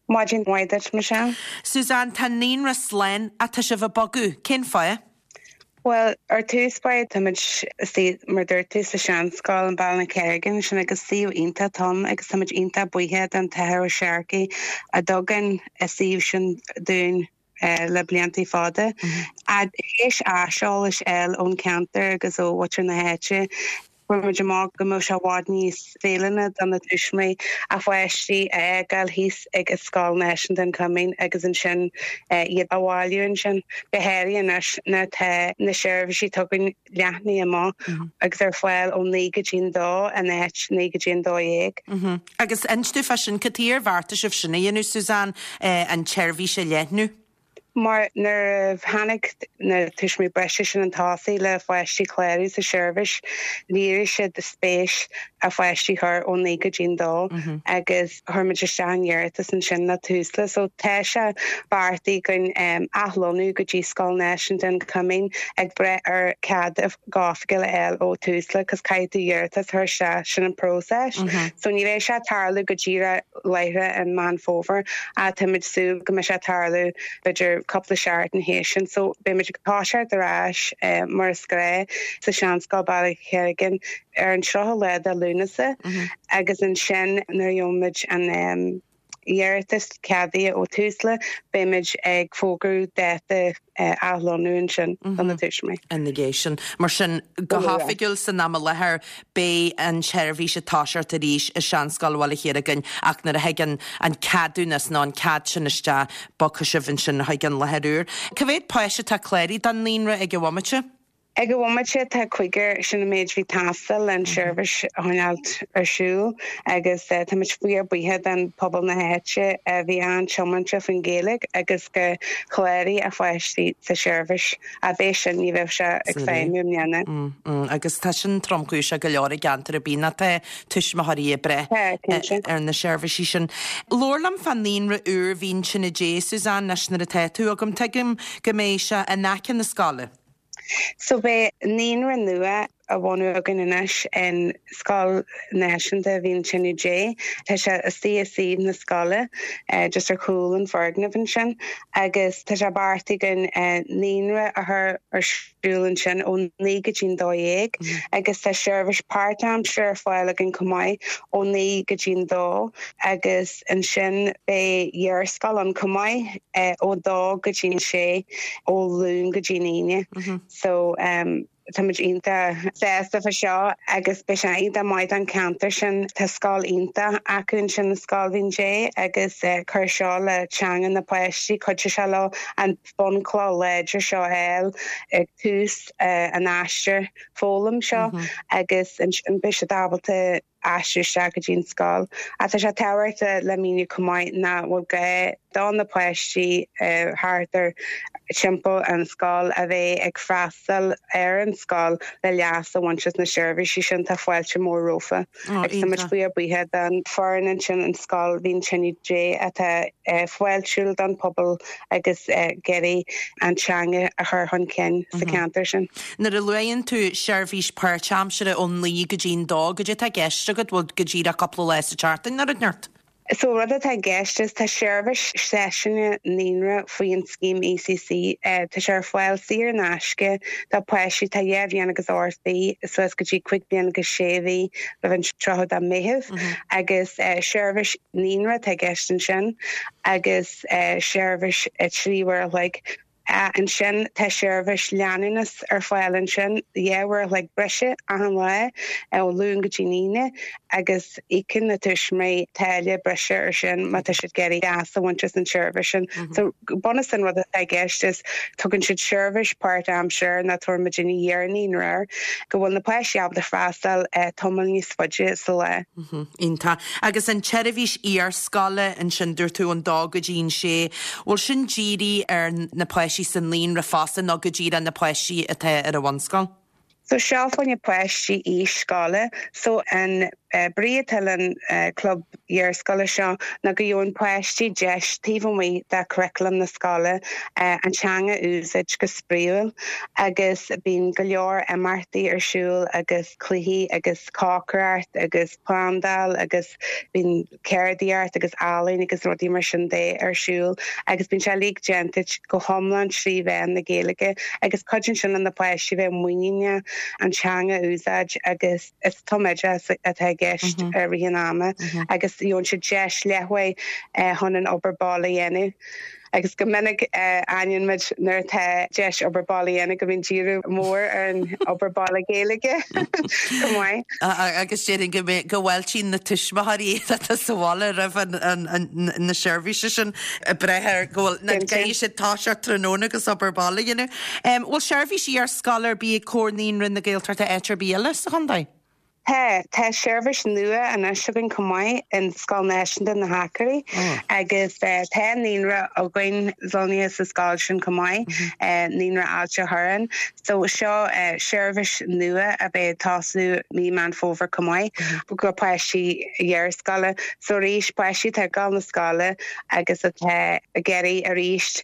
Maidin mhaith duit, Michelle. Suzanne, tá an naíonra slán ach tá sibh ag bogadh. Cén fáth? Bhuel, ar tús báire, táimid istigh, mar dúirt tú, sa seanscoil in Baile na Carraige sin agus suíomh iontach atá ann agus táimid iontach buíoch den tAthair Ó Searcaigh a dtug an suíomh sin dúinn le blianta fada. Théis aiseolas a fháil ón cheantar agus ó mhuintir na háite, Fuair muid amach go mbeadh sé i bhfad níos feiliúnaí do na tuismitheoirí a bpáistí a fhágáil thíos ag Scoil Náisiúnta an Choimín agus ansin iad a bhailiú ansin, go háirithe anois nuair atá na seirbhísí atá againn leathnaithe amach agus ar fáil ó naoi go dtí an dó in áit naoi go dtí an dó dhéag. Agus inis domh fá sin, cad chuige ar bheartaigh sibh sin a dhéanamh, Suzanne, an tseirbhís a leathnú? Mar nuair a tháinig na tuismitheoirí breise sin chun tosaigh le páistí a chlárú sa seirbhís, léirigh siad spéis a bpáistí a chur ó naoi go dtí an dó agus chuir muid isteach an iarratas ansin le Tusla. So tá sé beartaithe againn athlonnú go dtí Scoil Náisiúnta an Choimín ag brath ar cead go hoifigiúil a fháil ó Tusla cos caithfidh tú iarratas a chur isteach, sin an próiseas. So ní bheidh sé ag tarlú go díreach láithreach i Meán Fómhair ach táimid súil go mbeidh sé ag tarlú b'fhéidir cúpla seachtain théis sin. So beimid ag toiseacht ar ais mar is gnáth sa Seanscoil Baile Cherrigan ar an tríocha lá de Lúnasa agus ansin nuair a gheobhaimid an iarratas ceadaithe ó Tusla beimid ag fógrú dáta athlonnú ansin do na tuismitheoirí. Ina dhiaidh sin. Mar sin, go hoifigiúil san am i láthair, beidh an tseirbhís ag toiseacht arís i Seanscoil Bhaile Chiaragáin ach nuair a thagann an ceadúnas nó an cead sin isteach, bogfaidh sibh ansin chuig an láthair úr. Cá mhéad páiste atá cláraithe don naíonra ag an bhomaite? Ag an bhomaite tá cúigear, sin an méid a bhí ag teastáil le an seirbhís a choinneáil ar siúl agus táimid fíor buíoch den pobal na háite a bhí an-tiomanta faoin Ghaeilge agus gur chláraigh a pháistí sa seirbhís. Ach b'é sin, ní bheadh sé ag feidhmiú i mbliana. Agus tá sin tromchúiseach go leor i gceantar ar bith nach tá tuismitheoirí ag brath ar na seirbhísí sin. Labhair liom fán naíonra úr Mhín Tine Dé, Suzanne, anois nuair atá tú agam. Tuigim go mbeidh sé in aice na scoile. So beidh naíonra nua á bhunú againn anois in Scoil Náisiúnta Mhín Tine Dé. Tá sé istigh i suíomh na scoile, just ar chúl an foirgnimh ansin, agus tá sé beartaithe againn naíonra a chur ar siúl ansin ó naoi go dtí an dó dhéag agus tá seirbhís páirtaimseartha ar fáil againn chomh maith ó naoi go dtí an dó agus ansin beidh iarscoil ann chomh maith ó dó go dtí an sé ó Luan go dtí an Aoine. So um táimid iontach sásta fá seo agus beidh sé iontach maith don cheantar sin. Tá scoil iontach acu ansin, Scoil Mhín Dé, agus cuirfidh seo le teanga na páistí, cuideoidh sé leo an bunchloch láidir seo a fháil ag tús an aistir foghlaim seo agus ansin beidh siad ábalta aistriú isteach go dtí an scoil. Ach tá sé tábhachtach le míniú chomh maith nach bhfuil gá do na páistí thart ar timpeall an scoil a bheith ag freastal ar an scoil le leas a bhaint as na seirbhísí sin. Tá fáilte mór rompu agus tá muid fíor buíoch den foireann ansin in Scoil Mhín Tine Dé atá fáiltiúil don pobal agus ag iarraidh an teanga a chur chun cinn sa cheantar sin. Nuair a luann tú seirbhís páirtaimseartha ó naoi go dtí an dó, goidé atá i gceist agat, bhfuil go díreach cúpla lá sa tseachtain nó rud inteacht? So rud atá i gceist is tá seirbhís seisiúin naíonra faoi an scéim ECC tá sé ar fáil saor in aisce do pháistí atá dhá bhliain agus ocht mhí suas go dtí cúig bliana agus sé mhí roimh an tríochadú de Mheitheamh agus seirbhís naíonra atá i gceist ansin agus seirbhís trí uair a chloig. Ansin tá seirbhís leanúnach ar fáil ansin, dhá uair a chloig breise achan lá ó Luan go dtí an Aoine agus íocann na tuismitheoirí táille breise ar sin má tá siad ag iarraidh leas a bhaint as an tseirbhís sin. So bunús an rud atá i gceist is tugann siad seirbhís páirtaimseartha nó tabhair muid ina iar-naíonra air, go bhfuil na páistí ábalta freastal tamall níos faide sa lá. Iontach. Agus an tseirbhís iarscoile ansin, dúirt tú ón dó go dtí an sé, bhfuil sin dírithe ar na páistí sa naíonra fosta nó go díreach na páistí atá ar an bhunscoil? So seo fá choinne páistí aois scoile. So an brí atá leis an club iarscoile seo ná go gheobhann páistí deis taobh amuigh de curriculum na scoile an teanga a úsáid go spraíúil agus bíonn go leor imeachtaí ar siúl agus cluichí agus cócaireacht agus plandáil agus bíonn ceardaíocht agus ealaín agus rudaí mar sin de ar siúl agus bíonn sé uilig déanta go hiomlán trí mheán na Gaeilge agus cuidíonn sin le na páistí bheith muiníneach an teanga a úsáid agus is tumoideachas atá i gceist i rith an ama agus gheobhann siad deis leathuair chun an obair baile a dhéanamh. Agus go minic aithníonn muid nuair atá deis obair baile a dhéanamh go mbíonn díriú mór ar an obair baile Gaeilge chomh maith. Agus déarfainn go go bhfáiltíonn na tuismitheoirí atá sa bhaile roimh na seirbhíse sin breith ar go bhfuil na gcaithfidh siad toiseacht tráthnóna agus obair baile a dhéanamh. Bhfuil seirbhísí iarscoile ar bith ag Comhar Naíonraí na Gaeltachta áit ar bith eile sa chontae? Tá, tá seirbhís nua anois againn chomh maith in Scoil Náisiúnta na hAcairí agus tá naíonra againn lonnaithe sa scoil sin chomh maith, Naíonra Ailt an Chorráin. So seo seirbhís nua a bheidh ag tosú mí Meán Fómhair chomh maith go páistí iarscoile. So arís páistí atá ag dul na scoile agus atá ag iarraidh arís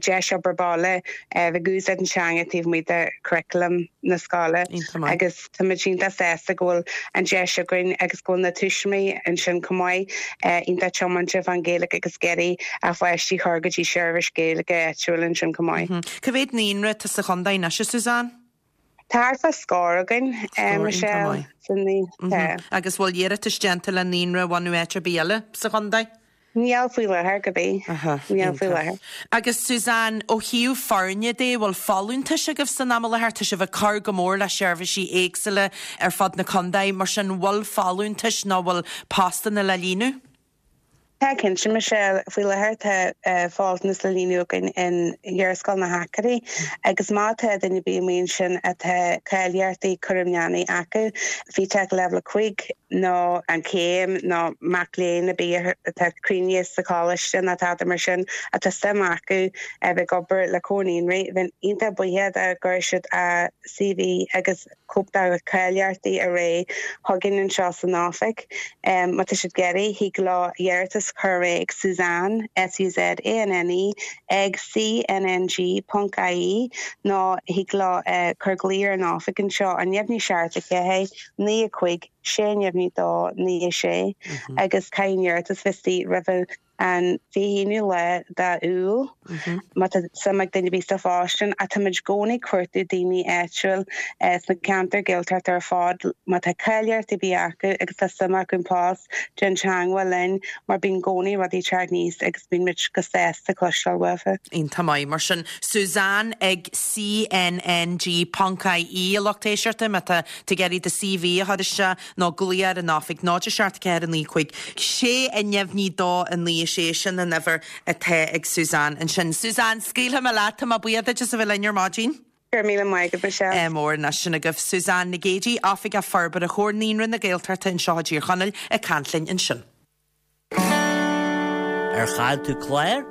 deis obair baile bheith ag úsáid an teanga taobh amuigh de curriculum na scoile agus táimid iontach sásta go bhfuil an deis againn agus go bhfuil na tuismitheoirí ansin chomh maith iontach tiomanta fán Ghaeilge agus ag iarraidh a bpáistí a chur go dtí seirbhís Gaeilge áitiúil ansin chomh maith. Cá mhéad naíonra atá sa chontae anois, a Suzanne? Tá thart fá scór againn, Michelle. Agus bhfuil iarratas déanta le naíonra a bhunú áit ar bith eile sa chontae? Níl faoi láthair go bí. Níl faoi láthair. Agus Suzanne, ó thaobh foirne de, bhfuil folúntais agaibh san am i láthair, tá sibh ag cur go mór le seirbhísí éagsúla ar fud na contae, mar sin bhfuil folúntais nó bhfuil postanna le líonadh? Tá cinnte Michelle, faoi láthair tá folúntas le líonadh againn in Iarscoil na hAcairí agus má tá duine ar bith amuigh ansin atá cáilíochtaí cúram leanaí acu, FETAC leibhéal a cúig nó an chéim nó mac léinn ar bith atá críochnaithe sa choláiste nó tada mar sin atá suim acu a bheith ag obair le Comhar Naíonraí, bheinn iontach buíoch dá gcuirfeadh siad a CV agus cóip dá cáilíochtaí ar aghaidh chugainn anseo san oifig. Má tá siad ag iarraidh, thig leo iarratas a chur ar aghaidh ag Suzanne, S-U-Z-A-N-N-E, ag CNNG ponc IE nó thig leo cur glaoch ar an oifig anseo ar neamhní seacht a ceathair, naoi a cúig, sé neamhní dó, naoi a sé agus caithfidh an iarratas bheith istigh roimh an fiche haonú lá d'Iúil. Má tá suim ag duine ar bith sa phost sin, ach táimid i gcónaí ag cuartú daoine áitiúil sna ceantair Gaeltachta ar fad má tá cáilíocht ar bith acu agus tá suim acu an post, déan teagmháil linn mar bíonn i gcónaí rudaí ag teacht aníos agus bíonn muid go sásta cloisteáil uaibh. Iontach maith. Mar sin, Suzanne ag CNNG ponc IE a lucht éisteachta má tá tú ag iarraidh do CV a chur isteach nó glaoch ar an oifig náid a seacht ceathair a naoi cúig sé a neamhní dó a naoi a sé sin an uimhir atá ag Suzanne ansin. Suzanne, scaoilfidh mé leat, tá mé buíoch duit as a bheith linn ar maidin. Go raibh míle maith agat, Michelle. Ádh mór anois sin agaibh. Suzanne Nic Géidigh, Oifigeach Forbartha Chomhar Naíonraí na Gaeltachta anseo i dTír Chonaill ag caint linn ansin. Ar chaill tú clár?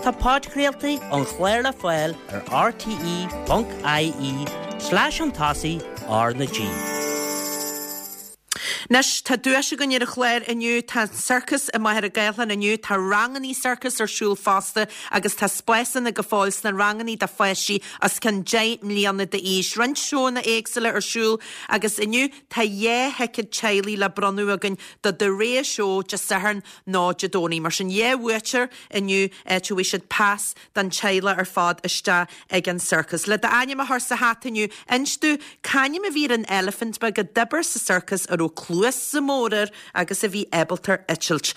Tá podchraoltaí an chláir le fáil ar rte.ie slash an tosaigh R na G. Anois, tá duais againn ar an chlár inniu, tá sorcas i Machaire Gathlán inniu, tá rangannaí sorcais ar siúl fosta agus tá spásanna go fóill sna rangannaí do pháistí os cionn deich mbliana d'aois. Roinnt seónna éagsúla ar siúl agus inniu tá dhá thicéad teaghlaigh le bronnadh againn do do rogha seó Dé Sathairn nó Dé Domhnaigh. Mar sin dhá bhuaiteoir inniu gheobhaidh siad pas don teaghlach ar fad isteach ag an sorcas. Le d'ainm a chur sa hata inniu, inis dúinn c'ainm a bhí ar an eilifint beag a d'oibir sa sorcas a raibh cluasa mór air agus a bhí ábalta eitilt.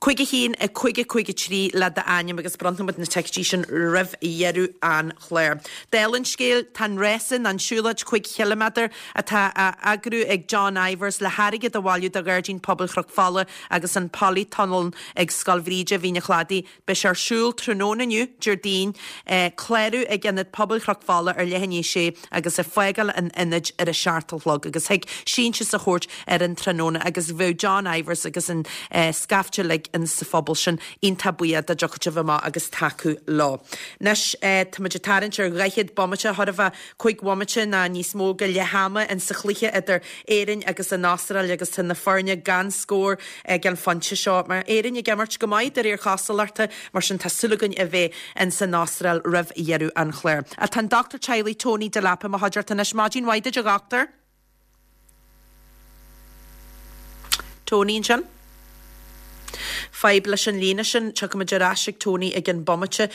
Cúig a haon, a cúig a cúig a trí le d'ainm agus bronnfaidh muid na ticéidí sin roimh dheireadh an chláir. Dála an scéil, tá an rása nó an siúlóid cúig chiliméadar atá á eagrú ag John Ivers le hairgead a bhailiú do Ghairdín Pobail Chnoc Fola agus an Polytunnel ag Scoil Bhríde Mhín an Chladaigh. Beidh sé ar siúl tráthnóna inniu, Déardaoin, clárú ag Ionad Pobail Chnoc Fola ar leath i ndiaidh a sé agus ag fágáil an ionaid ar a seacht a chlog agus thig síntiús a thabhairt ar an tráthnóna agus bheadh John Ivers agus an scaifte uilig in sa phobal sin iontach buíoch dá dtiocfadh sibh amach agus tacú leo. Anois táimid ag tarraingt ar dhaichead bomaite, chóir a bheith cúig bhomaite ná níos mó go leath ama in sa chluiche idir Éirinn agus an Astráil agus tá na foirne gan scór ag an phointe seo. Mar Éirinn ag imirt go maith de réir chosúlachta, mar sin tá súil againn a bheith in san Astráil roimh dheireadh an chláir. Tá an dochtúir teaghlaigh Tony Delap i mo chuideachta anois. Maidin mhaith duit a dhochtúir. Tony ansin. Fadhb leis an líne sin. Tiocfaimid ar ais ag Tony ag an bomaite.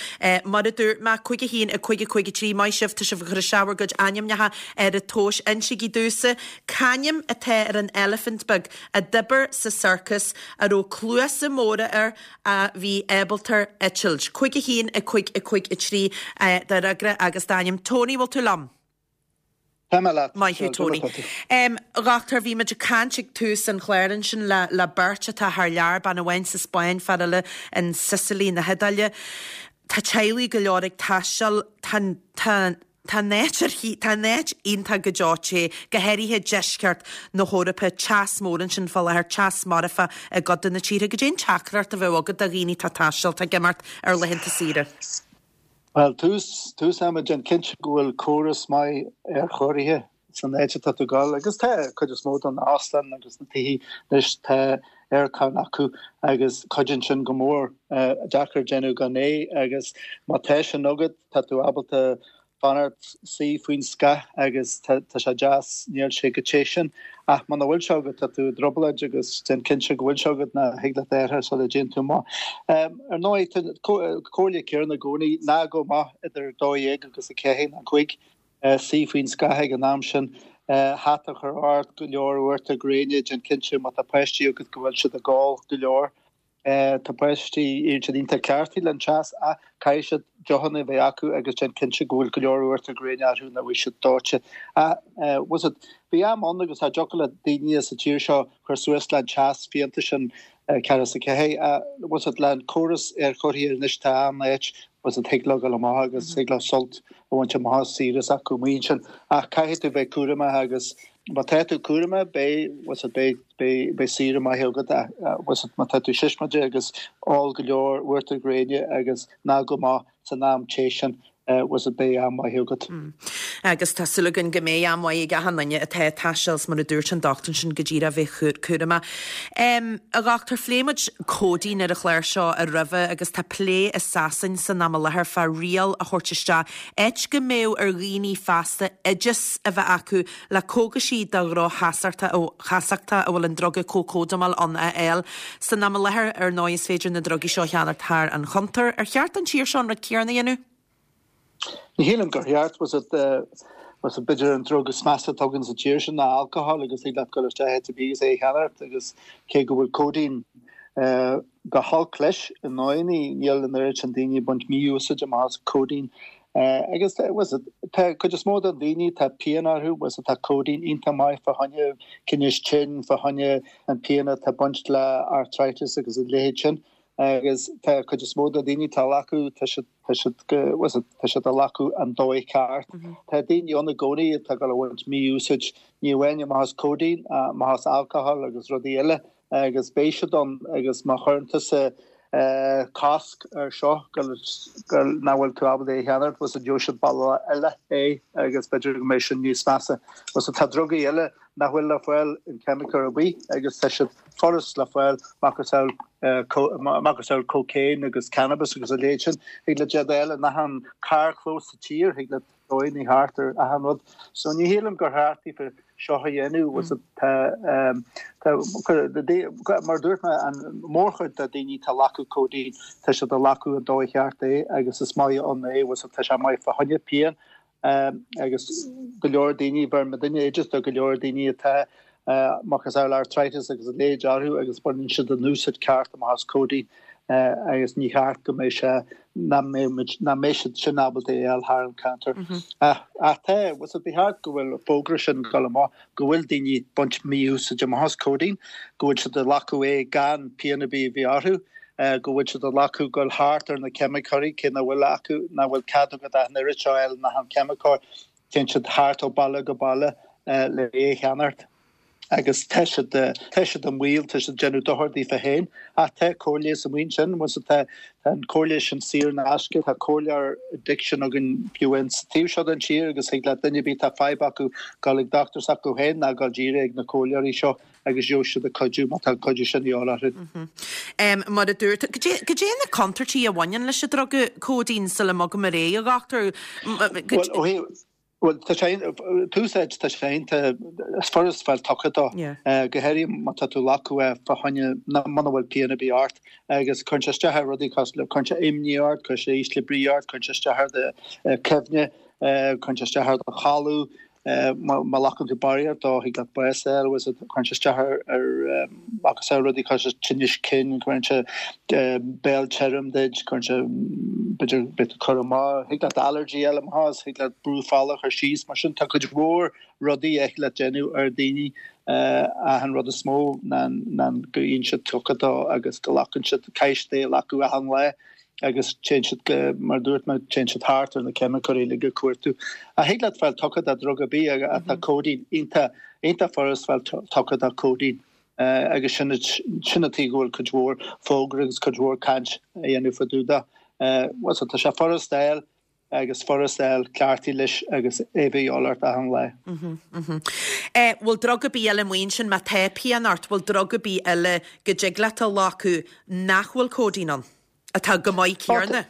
Mar a dúirt mé, cúig a haon, a cúig a cúig a trí, maith sibh, tá sibh ag cur isteach bhur gcuid ainmneacha ar an tomhas. Insígí domhsa, c'ainm atá ar an eilifint beag a d'oibir sa sorcas a raibh cluasa móra air a bhí ábalta eitilt? Cúig a haon, a cúig a cúig a trí do fhreagra agus d'ainm. Tony, bhfuil tú liom? Tá mé leat. Maith thú Tony. A dhochtúir, bhí muid ag caint ag tús an chláir ansin le le beirt atá thar lear, bean amháin sa Spáinn, fear eile in Sicily na hIodáile. Tá teaghlaigh go leor ag taisteal, tá tá tá an áit ar tá an áit iontach go deo te, go háirithe deisceart na hEorpa, teas mór ansin fá láthair, teas marfach i gcuid de na tíortha. Goidé an teachtaireacht a bheadh agat do dhaoine atá ag taisteal, atá ag imeacht ar laethanta saoire? Bhuel, tús, tús ama, déan cinnte go bhfuil córas maith aerchóirithe san áit atá tú ag dul, agus tá, cuid is mó de na hóstáin agus na tithe anois, tá aircon acu agus cuidíonn sin go mór. Deacair déanamh gan é agus má tá sin agat, tá tú ábalta fanacht, suí faoin scáth agus tá sé deas, níl sé chomh te sin. Ach muna bhfuil sé agat, tá tú i dtrioblóid agus déan cinnte go bhfuil sé agat ná thig leat é a athrú sula dtéann tú amach. Ar ndóigh, tá comhairle céanna i gcónaí, ná gabh amach idir dó dhéag agus a ceathair nó a cúig, suí faoin scáth ag an am sin, hata a chur ort, go leor uaireanta gréine, déan cinnte má tá páistí agat go bhfuil siad ag ól go leor. Tá páistí, éiríonn siad iontach cleachtaithe le an teas ach caithfidh siad deochanna a bheith acu agus déan cinnte go bhfuil go leor uaireanta gréine orthu nach bhfuil siad dóite. Ach bhfuil a fhios agat, bhí am ann agus cha dtiocfadh le daoine sa tír seo cur suas le an teas fiánta sin ceathracha is a ceathair. Ach bhfuil a fhios agat, le an córas aerchóirithe anois tá an áit, bhfuil a fhios agat, thig leo dul amach agus thig leo sult a bhaint amach as saoire s'acu amuigh ansin. Ach caithfidh tú bheith cúramach agus má tá tú cúramach beidh, bhfuil a fhios agat, beidh, beidh, beidh saoire maith agat ach, bhfuil a fhios agat, má tá tú siosmaideach agus ól go leor uaireanta gréine agus ná gabh amach san am te sin, bhfuil a fhios agat, beidh am maith agat. Agus tá súil againn go mbeidh am maith ag achan duine atá ag taisteal is mar a dúirt an dochtúir ansin go díreach bheith cúramach. A dhochtúir, phléigh muid cóidín ar an chlár seo roimhe agus tá plé i Sasain san am i láthair fá riail a thabhairt isteach áit go mbeadh ar dhaoine fásta oideas a bheith acu le cógaisí do dhrochfheasachta a bhfuil an druga cócódamól ann a fháil. San am i láthair, ar ndóigh, is féidir na drugaí seo a cheannacht thar an chuntar. Ar cheart don tír seo an rud céanna a dhéanamh? Ní shílim gur cheart. Bhfuil a fhios agat, bhfuil a fhios agat, b'fhéidir an drug is measa atá againn sa tír sin ná alcohol agus thig leat dul isteach áit ar bith agus é a cheannacht agus cé go bhfuil codeine go holc leis i ndóigh níl an oiread sin daoine ag baint mí-úsáid amach as codeine. Agus bhfuil a fhios agat, tá cuid is mó den daoine tá pian orthu, bhfuil a fhios agat, tá codeine iontach maith fá choinne tinneas tinn, fá choinne an pian atá ag baint le arthritis agus a leithéid sin. Agus tá cuid is mó de daoine atá á ghlacadh, tá siad, tá siad go, bhfuil a fhios agat, tá siad á ghlacadh an dóigh ceart. Tá daoine ann i gcónaí atá ag dul a bhaint mí-úsáid, ní amháin amach as codeine, amach as alcohol agus rudaí eile. Agus beidh siad ann agus má chuireann tusa cosc ar seo go nach bhfuil tú ábalta é a cheannacht, bhfuil a fhios agat, gheobhaidh siad bealach eile é agus b'fhéidir go mbeidh sin níos measa. Bhfuil a fhios agat, tá drugaí eile nach bhfuil le fáil in ceimiceoir ar bith agus tá siad furast le fáil macasamhail macasamhail cocaine agus cannabis agus a leithéid sin. Thig leat iad a fháil in achan carrchlós sa tír, thig leat dóigheanna thart ar achan rud. So ní shílim gur cheart daofa seo a dhéanamh was tá tá mar dúirt mé an mórchuid de daoine atá ag glacadh codeine tá siad ag glacadh an dóigh cheart é agus is maith ann é was tá sé maith fá choinne pian agus go leor daoine bheir mo duine oideas do go leor daoine atá macasamhail arthritis agus a leithéid orthu agus baineann siad an úsáid ceart amach as codeine agus ní cheart go mbeidh sé nach mbeidh nach mbeidh siad sin ábalta é a fháil thar an counter. Ach tá was ba cheart go bhfuil fógra sin ag dul amach go bhfuil daoine ag baint mí-úsáid amach as codeine, go bhfuil siad ag glacadh é gan pian ar bith a bheith orthu. go bhfuil siad ag glacadh goil thart ar na ceimiceoirí, cé nach bhfuil acu, nach bhfuil cead agat ach an oiread seo a fháil in achan ceimiceoir, téann siad thart ó baile go baile le é a cheannacht agus tá siad, tá siad i mbaol, tá siad ag déanamh dochar daofa féin. Ach tá cóir leighis amuigh ansin, bhfuil tá, tá an cóir leighis sin saor in aisce, tá comhairleoir addiction againn fiú amháin sa taobh seo den tír agus thig le duine ar bith atá fadhb acu dul ag dochtúir s'acu féin ná dul díreach ag na comhairleoirí seo. agus gheobhaidh siad an cuidiú má tá an cuidiú sin de dhíobháil orthu. Mar a dúirt tú, cad é na contúirtí a bhaineann leis an druga cóidín sula mbogfaidh ar aghaidh, a dhochtúir? Bhuel, ó thaobh, bhuel, tá sé, tús áite, tá sé iontach, is furast fáil tugtha dó, go háirithe má tá tú ag glacadh é fá choinne, muna bhfuil pian ar bith ort, agus cuireann sé isteach ar rudaí cosúil le, cuireann sé imní ort, cuireann sé ísle brí ort, cuireann sé isteach ar do chuimhne, cuireann sé isteach ar do chodladh, Má ghlacann tú barraíocht dó, thig leat bás a fháil, bhfuil cuireann sé isteach ar ar agus ar rudaí cosúil le tinneas cinn, cuireann sé béal tirim duit, cuireann sé b'fhéidir beidh tú cur amach, thig leat allergy a fháil amach as, thig leat brú fola a chur síos, mar sin tá cuid mhór rudaí a thig leat déanamh ar daoine ach an rud is mó ná ná go mbíonn siad tugtha dó agus go nglacann siad, caithfidh siad é a ghlacadh achan lá. agus téann siad go, mar a dúirt mé, téann siad thart ar na ceimiceoirí uilig ag cuartú. Ach thig leat fáil tugtha de drug ar bith ach tá codeine iontach, iontach furast fáil tugtha de codeine agus sin, sin an tuige go bhfuil cuid mhór fógra agus cuid mhór caint a dhéanamh fá dtaobh de. Bhuel, so tá sé furast a fháil agus furast a fháil cleachtaithe leis agus é bheith de dhíobháil ort achan lá. Bhfuil drug ar bith eile amuigh ansin má tá pian ort, bhfuil drug ar bith eile go dtig leat a ghlacadh nach bhfuil codeine ann? Atá chomh maith céanna.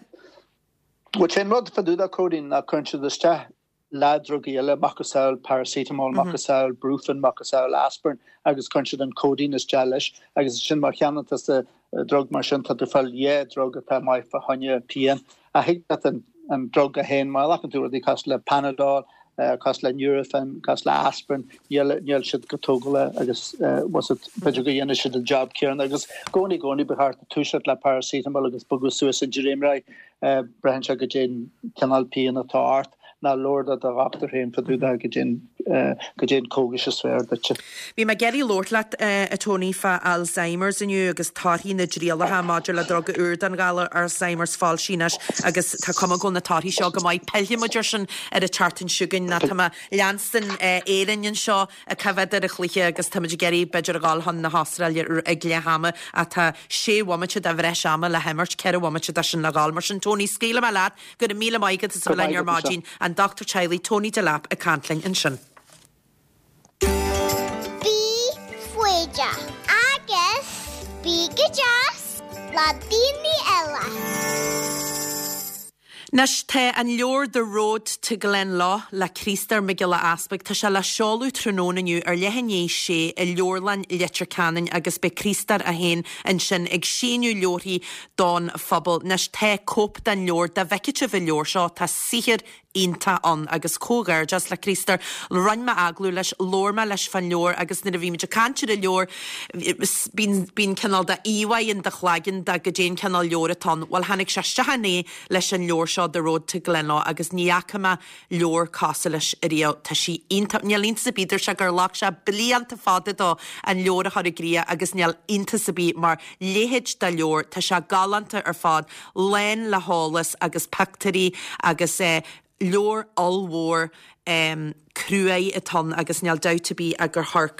Bhuel, sé an rud fá dtaobh de codeine ná cuireann siad isteach le drugaí eile, macasamhail paracetamol, macasamhail Brufen, macasamhail aspirin agus cuireann siad an codeine isteach leis agus ansin má cheannaíonn tusa drug mar sin tá tú ag fáil dhá drug atá maith fá choinne pian. Ach thig leat an drug é féin, má ghlacann tú rudaí cosúil le Panadol, cosúil le Nurofen, cosúil le aspirin, níl níl siad chomh tógálach agus was it b'fhéidir go dhéanfaidh siad an job céanna agus i gcónaí i gcónaí ba cheart toiseacht le paracetamol agus bogadh suas an dréim ar aghaidh braitheann sé goidé an cineál pian atá ort ná labhair le do dhochtúir féin fá dtaobh de goidé goidé an cógas is fearr duitse. Bhí mé ag iarraidh labhairt leat, a Tony, fá Alzheimer's inniu agus torthaí na dtrialacha maidir le druga úr don ghalar Alzheimer's foilsithe anois agus tá cuma go bhfuil na torthaí seo go maith. Pillfidh muid air sin ar an tseachtain seo chugainn nó tá mé ag leanstan Éirinn anseo ag coimhéad ar an chluiche agus táimid ag iarraidh b'fhéidir a dhul chun na hAstráile ag leath ama ach tá sé bhomaite de bhreis ama le himirt, ceithre bhomaite de sin le dhul. Mar sin Tony, scaoilfidh mé leat, go raibh míle maith agat as a bheith linn ar maidin. An Dochtúir Teaghlaigh Tony Delap ag caint linn ansin. Bí foighdeach agus bí go deas le daoine eile. Anois tá an leabhar The Road to Glenlough le Críostóir Mac Giolla Easpaig, tá sé le seoladh tráthnóna inniu ar leath i ndiaidh a sé i Leabharlann Leitir Ceanainn agus beidh Críostóir é féin ansin ag síniú leabharthaí don phobal. Anois tá cóip den leabhar, dá bhfeicfeadh sibh an leabhar seo, tá saothar iontach ann agus comhghairdeas le Críostóir. Rinne mé agallamh leis, labhair mé leis fán leabhar agus nuair a bhí muid ag caint ar an leabhar, bíonn, bíonn cineál de íomhá in do chloigeann de goidé an cineál leabhair atá ann. Bhuel, tháinig sé isteach inné leis an leabhar seo, The Road to Glenlough, agus ní fhaca mé leabhar cosúil leis ariamh. Tá sí iontach, níl iontas ar bith, dúirt sé gur ghlac sé blianta fada dó an leabhar a chur i gcrích agus níl iontas ar bith mar leithéid de leabhar, tá sé galánta ar fad, lán le heolas agus pictiúirí agus eh, leabhar ollmhór cruaidh atá ann agus níl dabht ar bith ach gur chuir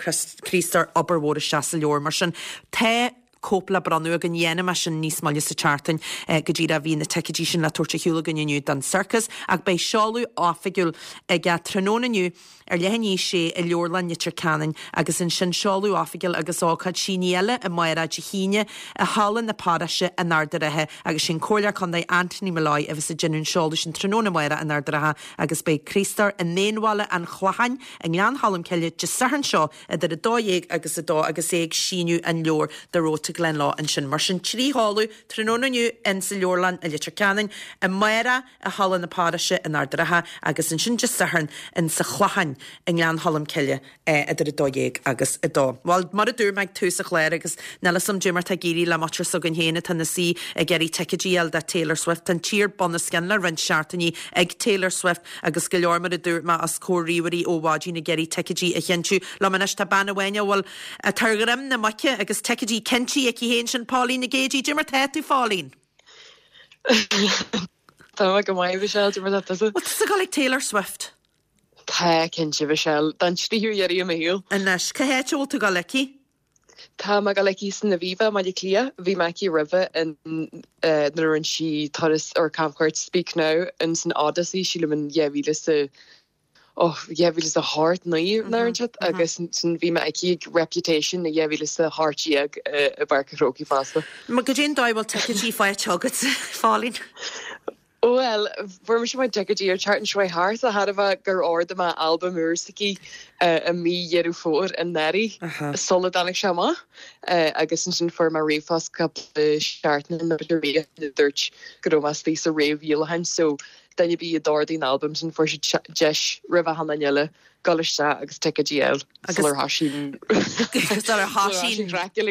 Críostóir obair mhór isteach sa leabhar. Mar sin, tá cóip le bronnadh againn. Dhéanfaidh mé sin níos moille sa tseachtain go díreach. Bhí na ticéidí sin le tabhairt ar shiúl againn inniu don sorcas ach beidh seoladh oifigiúil aige tráthnóna inniu ar leath i ndiaidh a sé i Leabharlann Leitir Ceanainn agus ansin seoladh oifigiúil agus ócáid sínithe eile amárach Dé hAoine i Halla na Paróiste in Ard a' Rátha agus sin Comhairleoir Contae Anthony Molloy a bheas ag déanamh an seoladh sin tráthnóna amárach in Ard a' Rátha agus beidh Críostóir i nDaonbhaile an Chlocháin i nGleann Cholm Cille Dé Sathairn seo idir a dó dhéag agus a dó agus é ag síniú an leabhair The Road to Glenlough ansin. Mar sin trí sheoladh tráthnóna inniu in sa leabharlann i Leitir Ceanainn, amárach i Halla na Paróiste in Ard a' Rátha agus ansin Dé Sathairn in sa Chlochán i nGleann Cholm Cille idir a dó dhéag agus a dó. Bhuel, mar a dúirt mé ag tús an chláir agus níl 'fhios a'm dé mar tá ag éirí le muintir s'againn féin atá ina suí ag iarraidh ticéidí a fháil do Taylor Swift. Tá an tír bunoscionn le roinnt seachtainí ag Taylor Swift agus go leor mar a dúirt mé os comhair ríomhairí ó mhaidin ag iarraidh ticéidí a chinntiú. Liom anois tá bean amháin a bhfuil atá ar dhroim na muice agus ticéidí cinntithe aici féin, sin Pauline Nic Géidigh. Dé mar tá tú, Phauline? Tá mé go maith, Michelle, dé mar tá tusa? Bhfuil tusa ag dul ag Taylor Swift? Tá, cinnte, Michelle. Don tríú huair i mo shaol. Anois, cá háit a bhfuil tú ag dul aici? Tá mé ag dul aici san Aviva i mBaile Átha Cliath. Bhí mé aici roimhe in nuair a rinne sí turas or camchuairt Speak Now in san Odyssey sílim in dhá mhíle is a oh dhá mhíle is a hocht naoi nuair a rinne siad agus ansin bhí mé aici ag Reputation i dhá mhíle is a hocht déag i bPáirc an Chrócaigh fosta. Goidé an dóigh a bhfuil ticéidí faighte agat, Phauline? Bhuel, fuair mise mo thicéidí an tseachtain seo thart, de thairbhe gur ordaigh mé albam úr s'aici i mí Dheireadh Fómhair anuraidh sula dtáinig sé amach agus ansin fuair mé ríomhphost cúpla seachtain nó b'fhéidir mí ó shin a dúirt go raibh mé istigh sa réamhdhíolachán so duine ar bith a d'ordaigh an albam sin fuair siad deis roimh achan duine eile dul isteach agus ticéidí a fháil sular thoisigh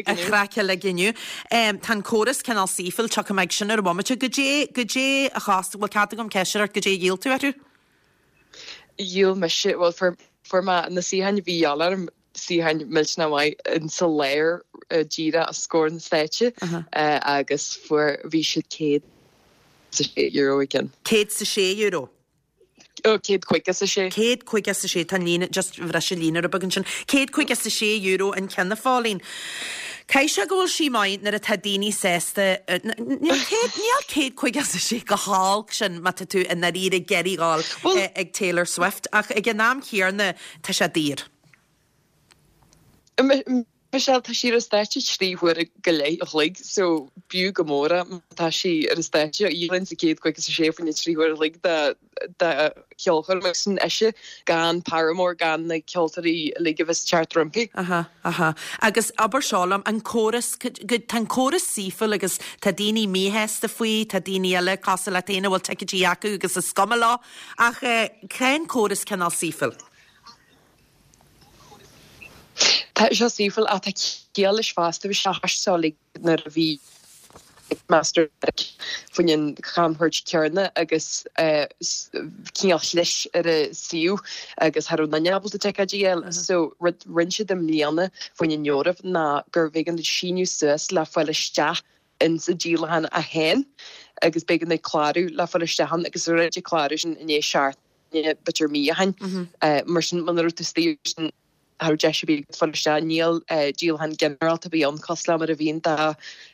an chraic uilig inniu. Tá an córas cineál saoithiúil, tiocfaidh mé ag sin ar an bhomaite. Goidé, goidé a chosnaigh, bhfuil cead agam ceist a chur ort, goidé a dhíol tú orthu? Dhíol mise, bhuel fuair, fuair mé na suíocháin a bhí a dhíobháil orm, suíocháin millteanach maith in sa lár díreach os comhair na stáitse agus fuair, bhí siad céad is a sé euro an ceann. Céad is a sé euro? Ó, céad caoga is a sé. Céad caoga is a sé, tá an líne, just bhris an líne rud beag ansin. Céad caoga is a sé euro an ceann, a Phauline. Caithfidh sé go bhfuil sí maith nuair atá daoine sásta, níl céad, níl céad caoga is a sé chomh holc sin má tá tú i ndáiríre ag iarraidh dhul ag Taylor Swift ach ag an am chéanna tá sé daor. Michelle, tá sí ar an stáitse trí huaire go leith a chloig so b'fhiú go mór é má tá sí ar an stáitse. Dhíolfainnse céad caoga is a sé fá choinne trí huaire a chloig de de cheolchoirm agus sin ise gan Paramore gan na ceoltóirí uilig a bheas ag teacht roimpi. Aha, aha. Agus abair seo liom, an córas, tá an córas saoithiúil agus tá daoine míshásta faoi, tá daoine eile cosúil leat féin a bhfuil ticéidí acu agus is cuma leo ach tá an córas cineál saoithiúil. Tá sé saoithiúil ach tá ciall leis fosta. Bhí sé thaisteal nuair a bhí Master fá choinne an chamchuairt chéanna agus cineál chlis ar an suíomh agus cha raibh aon duine ábalta ticéidí a fháil. So rud rinne siad i mbliana fá choinne an Eoraip ná gurbh éigean duit síniú suas le fáil isteach ins an díolachán é féin agus b'éigean duit clárú le fáil isteach ann agus rinne siad clárú sin i ndiaidh seachtaine b'fhéidir mí ó shin. Mar sin muna raibh tú istigh sin cha raibh deis ar bith agat fáil isteach. Níl díolachán ginearálta ar bith ann cosúil le mar a bhíonn do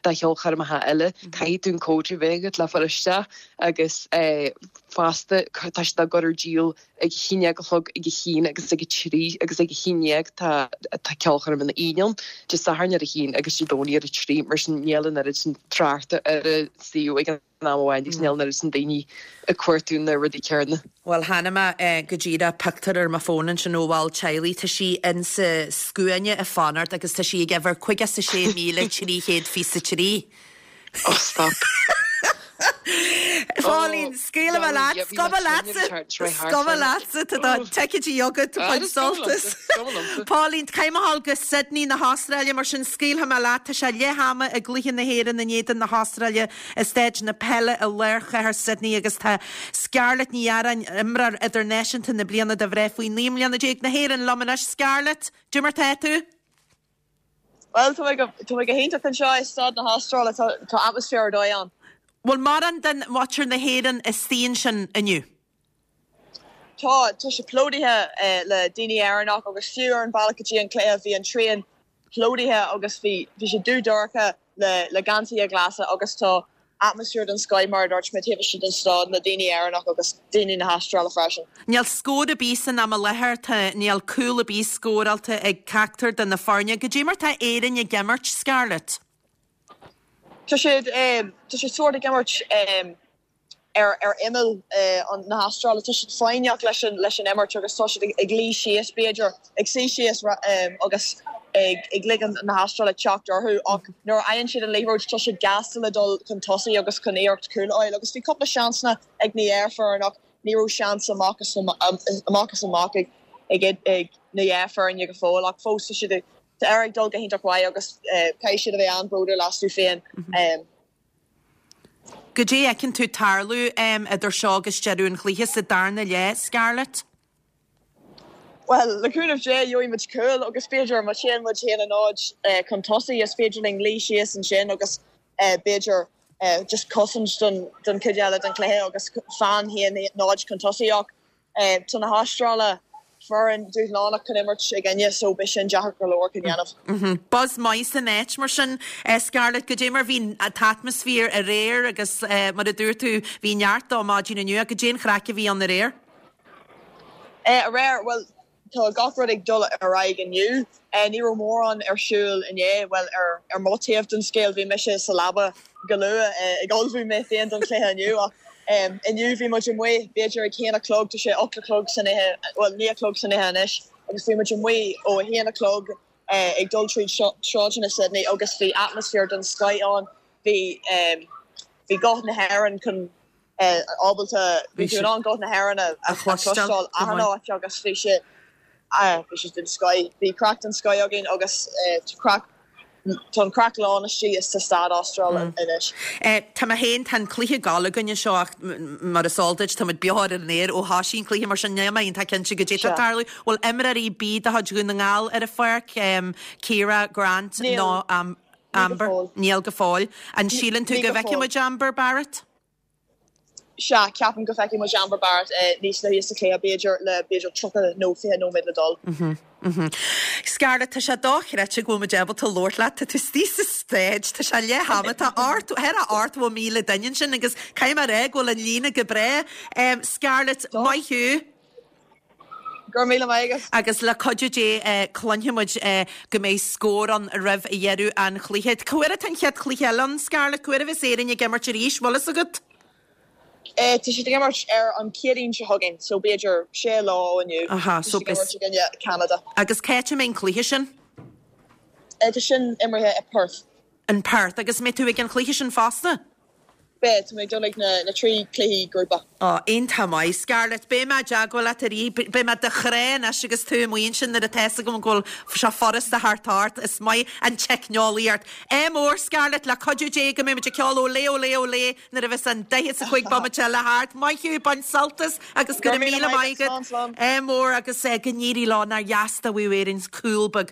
do cheolchoirmeacha eile. Caithfidh tú an cód a bheith agat le fáil isteach agus fosta tá siad á gcur ar díol ag a haon déag a chlog, ag a haon agus ag a trí agus ag a haon déag tá tá ceolchoirm na hAoine ann, Dé Sathairn ar a haon agus Dé Domhnaigh ar a trí mar sin níl an oiread sin tráchta ar an suíomh ag an am amháin agus níl an oiread sin daoine ag cuartú na rudaí céanna. Bhuel, chonaic mé go díreach pictiúr ar mo fón ansin ó bhall teaghlaigh. Tá sí insa scuaine ag fanacht agus tá sí ag uimhir caoga is a sé míle trí chéad fiche a trí. Oh, stop. Phauline, scaoilfidh mé leat, is cuma leatsa, is cuma leatsa, tá do ticéidí agat, bain sult as. Pauline, caithfidh mé a ghabháil go Sydney na hAstráile, mar sin scaoilfidh mé leat, tá sé leath ama i gcluiche na hÉireann in éadan na hAstráile i Staid na Peile i lár chathair Sydney agus tá Scarlett Ní Gearáin, imreoir idirnáisiúnta na bliana do mhná faoi naoi mbliana déag na hÉireann liom anois. Scarlett, dé mar tá tú? Bhuel, tá mé go, tá mé go hiontach anseo i Staid na hAstráile, tá, tá atmaisféar ar dóigh ann. Bhfuil mórán den mhuintir na hÉireann istigh ansin inniu? Tá, tá sé plódaithe le daoine Éireannach agus fiú ar an bhealach go dtí an cluiche bhí an traein plódaithe agus bhí, bhí sé dubh dorcha. le le geansaithe glasa agus tá atmaisféar den scoth mar a dúirt mé taobh istigh den staid le daoine Éireannach agus daoine na hAstráile freisin. Níl scór ar bith san am i láthair, tá níl cúl ar bith scóráilte ag ceachtar de na foirne. Goidé mar tá Éirinn ag imirt, Scarlett? Tá siad tá siad sórt ag imirt ar ar imeall na hAstráile. Tá siad foighneach leis an leis an imirt agus tá siad ag luí síos b'fhéidir, ag suí síos agus ag ag ligean na hAstráile teacht orthu ach nuair a fhaigheann siad an liathróid tá siad gasta le dul chun tosaigh agus chun iarracht cúl a fháil agus bhí cúpla seansanna ag na dhá foireann ach ní raibh seans amach is amach is amach ag ag ag na dhá foireann go fóill ach fós tá siad tá Éire ag dul go hiontach mhaith agus caithfidh siad a bheith an-bhródúil astu féin. Goidé a fheiceann tú tarlú idir seo agus deireadh an chluiche sa darna leath, Scarlett? Bhuel, le cúnamh Dé, gheobhaidh muid cúl agus b'fhéidir má théann muid haon a náid chun tosaigh, is féidir linn luí síos ansin agus b'fhéidir just cosaint don don chuid eile den chluiche agus fan haon náid chun tosaigh ach Tá na hAstráile foireann dúshlánach chun imirt i gcoinne so beidh sin deacair go leor chun dhéanamh. Buzz maith san áit mar sin, Scarlett, goidé mar bhí an t-atmaisféar aréir agus mar a dúirt tú bhí neart dó maidin inniu, goidé an chraic a bhí ann aréir? Aréir, bhuel tá gach rud ag dul ar aghaidh inniu. Ní raibh mórán ar siúl inné, bhuel ar ar mo thaobh den scéal bhí mise sa leaba go luath ag ullmhú mé féin don chluiche inniu ach Inniu bhí muid amuigh b'fhéidir ag haon a chlog, tá sé ocht a chlog san oíche, bhuel naoi a chlog san oíche anois, agus bhí muid amuigh ó a haon a chlog ag dul tríd sráideanna Sydney agus bhí atmaisféar den scoith ann, bhí bhí guth na hÉireann chun ábalta, bhí tú in ann guth na hÉireann a chloisteáil achan áit agus bhí sé bhí sé den scoith. Bhí craic den scoith againn agus craic Tá an craic lán istigh sa staid Austral anois. Tá mé féin, tá an cluiche ag gabháil againn anseo ach mar is eol duit tá muid beo ar an aer ó thoisigh an cluiche mar sin níl mé iontach cinnte goidé atá ag tarlú. Bhfuil imreoirí ar bith de chuid Dhún na nGall ar an pháirc, Ciara Grant nó Amber? Níl go fóill. An síleann tú go bhfeicfidh muid Amber Barrett? Sea, ceapaim go bhfeicfidh muid Amber Barrett níos luaithe sa chluiche, b'fhéidir le b'fhéidir tríocha nó fiche nóiméad le dul. Scarlett, tá sé dochreidte go bhfuil muid ábalta labhairt leat. Tá tú istigh sa staid, tá sé leath ama, tá ocht, thar a ochtó míle duine ansin agus caithfidh mé a rá go bhfuil an líne go breá. Scarlett, maith thú. Go raibh míle maith agat. Agus le cuidiú Dé cluinfidh muid go mbeidh scór ann roimh dheireadh an chluiche. Cá huair atá an chéad chluiche eile ann, Scarlett? Cá huair a bheas Éirinn ag imirt arís? Bhfuil fhios agat? Tá siad ag imirt ar an Chéadaoin seo chugainn, so b'fhéidir sé lá ó inniu. Aha, Tá so siad ag imirt i gcoinne Ceanada. Agus cá háit a mbeidh an cluiche sin? Tá sin imeartha i Perth. In Perth. Agus mbeidh tú ag an chluiche sin fosta? Beidh, tá mé ag dul ag na na trí cluichí grúpa. Ó, iontach maith. Scarlett, beidh mé i dteagmháil leat arís. Beidh mé do chrá anois agus tú amuigh ansin nuair atá fhios agam go bhfuil sé furasta theacht ort. Is maith an teicneolaíocht. Ádh mór, Scarlett, le cuidiú Dé go mbeidh muid ag ceol Olé Olé Olé nuair a bheas an daichead is a cúig bomaite eile thart. Maith thú, bain sult as agus go raibh míle maith agat. Slán, slán. Ádh mór agus go n-éirí leo. Nár dheas dá bhfaigheadh Éirinn cúl beag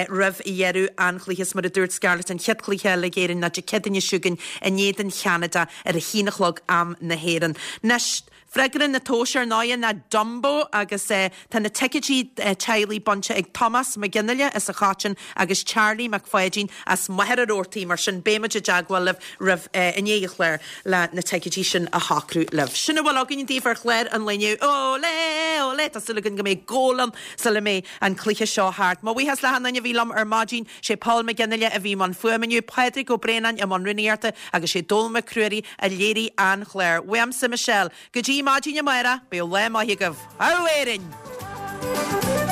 roimh dheireadh an chluiche. Is mar a dúirt Scarlett, an chéad chluiche eile ag Éirinn ná Dé Céadaoine seo chugainn in éadan Cheanada ar a haon a chlog am na hÉireann. Anois, freagra na tomhais ar ndóighe ná Dumbo agus tá na ticéidí teaghlaigh bainte ag Tomás Mac Fhionnghaile as an Choiteann agus Charlie Mac Pháidín as Machaire Rabhartaigh mar sin beidh muid i dteagmháil libh roimh i ndiaidh an chláir le na ticéidí sin a shocrú libh. Sin a bhfuil againn daoibh ar chlár an lae inniu. Olé! Olé! Tá súil againn go mbeidh gól ann sula mbeidh an cluiche seo thart. Mo bhuíochas le hachan duine a bhí liom ar maidin, sé Paul Mac Fhionnghaile a bhí i mbun fuaime inniu, Pádraig Ó Braonáin i mbun rúnaíochta agus sé Dónall Mac Ruairí a léirigh an clár. Uaimse Michelle, go dtí maidin amárach, bíodh lá maith agaibh. Fogha Éirinn!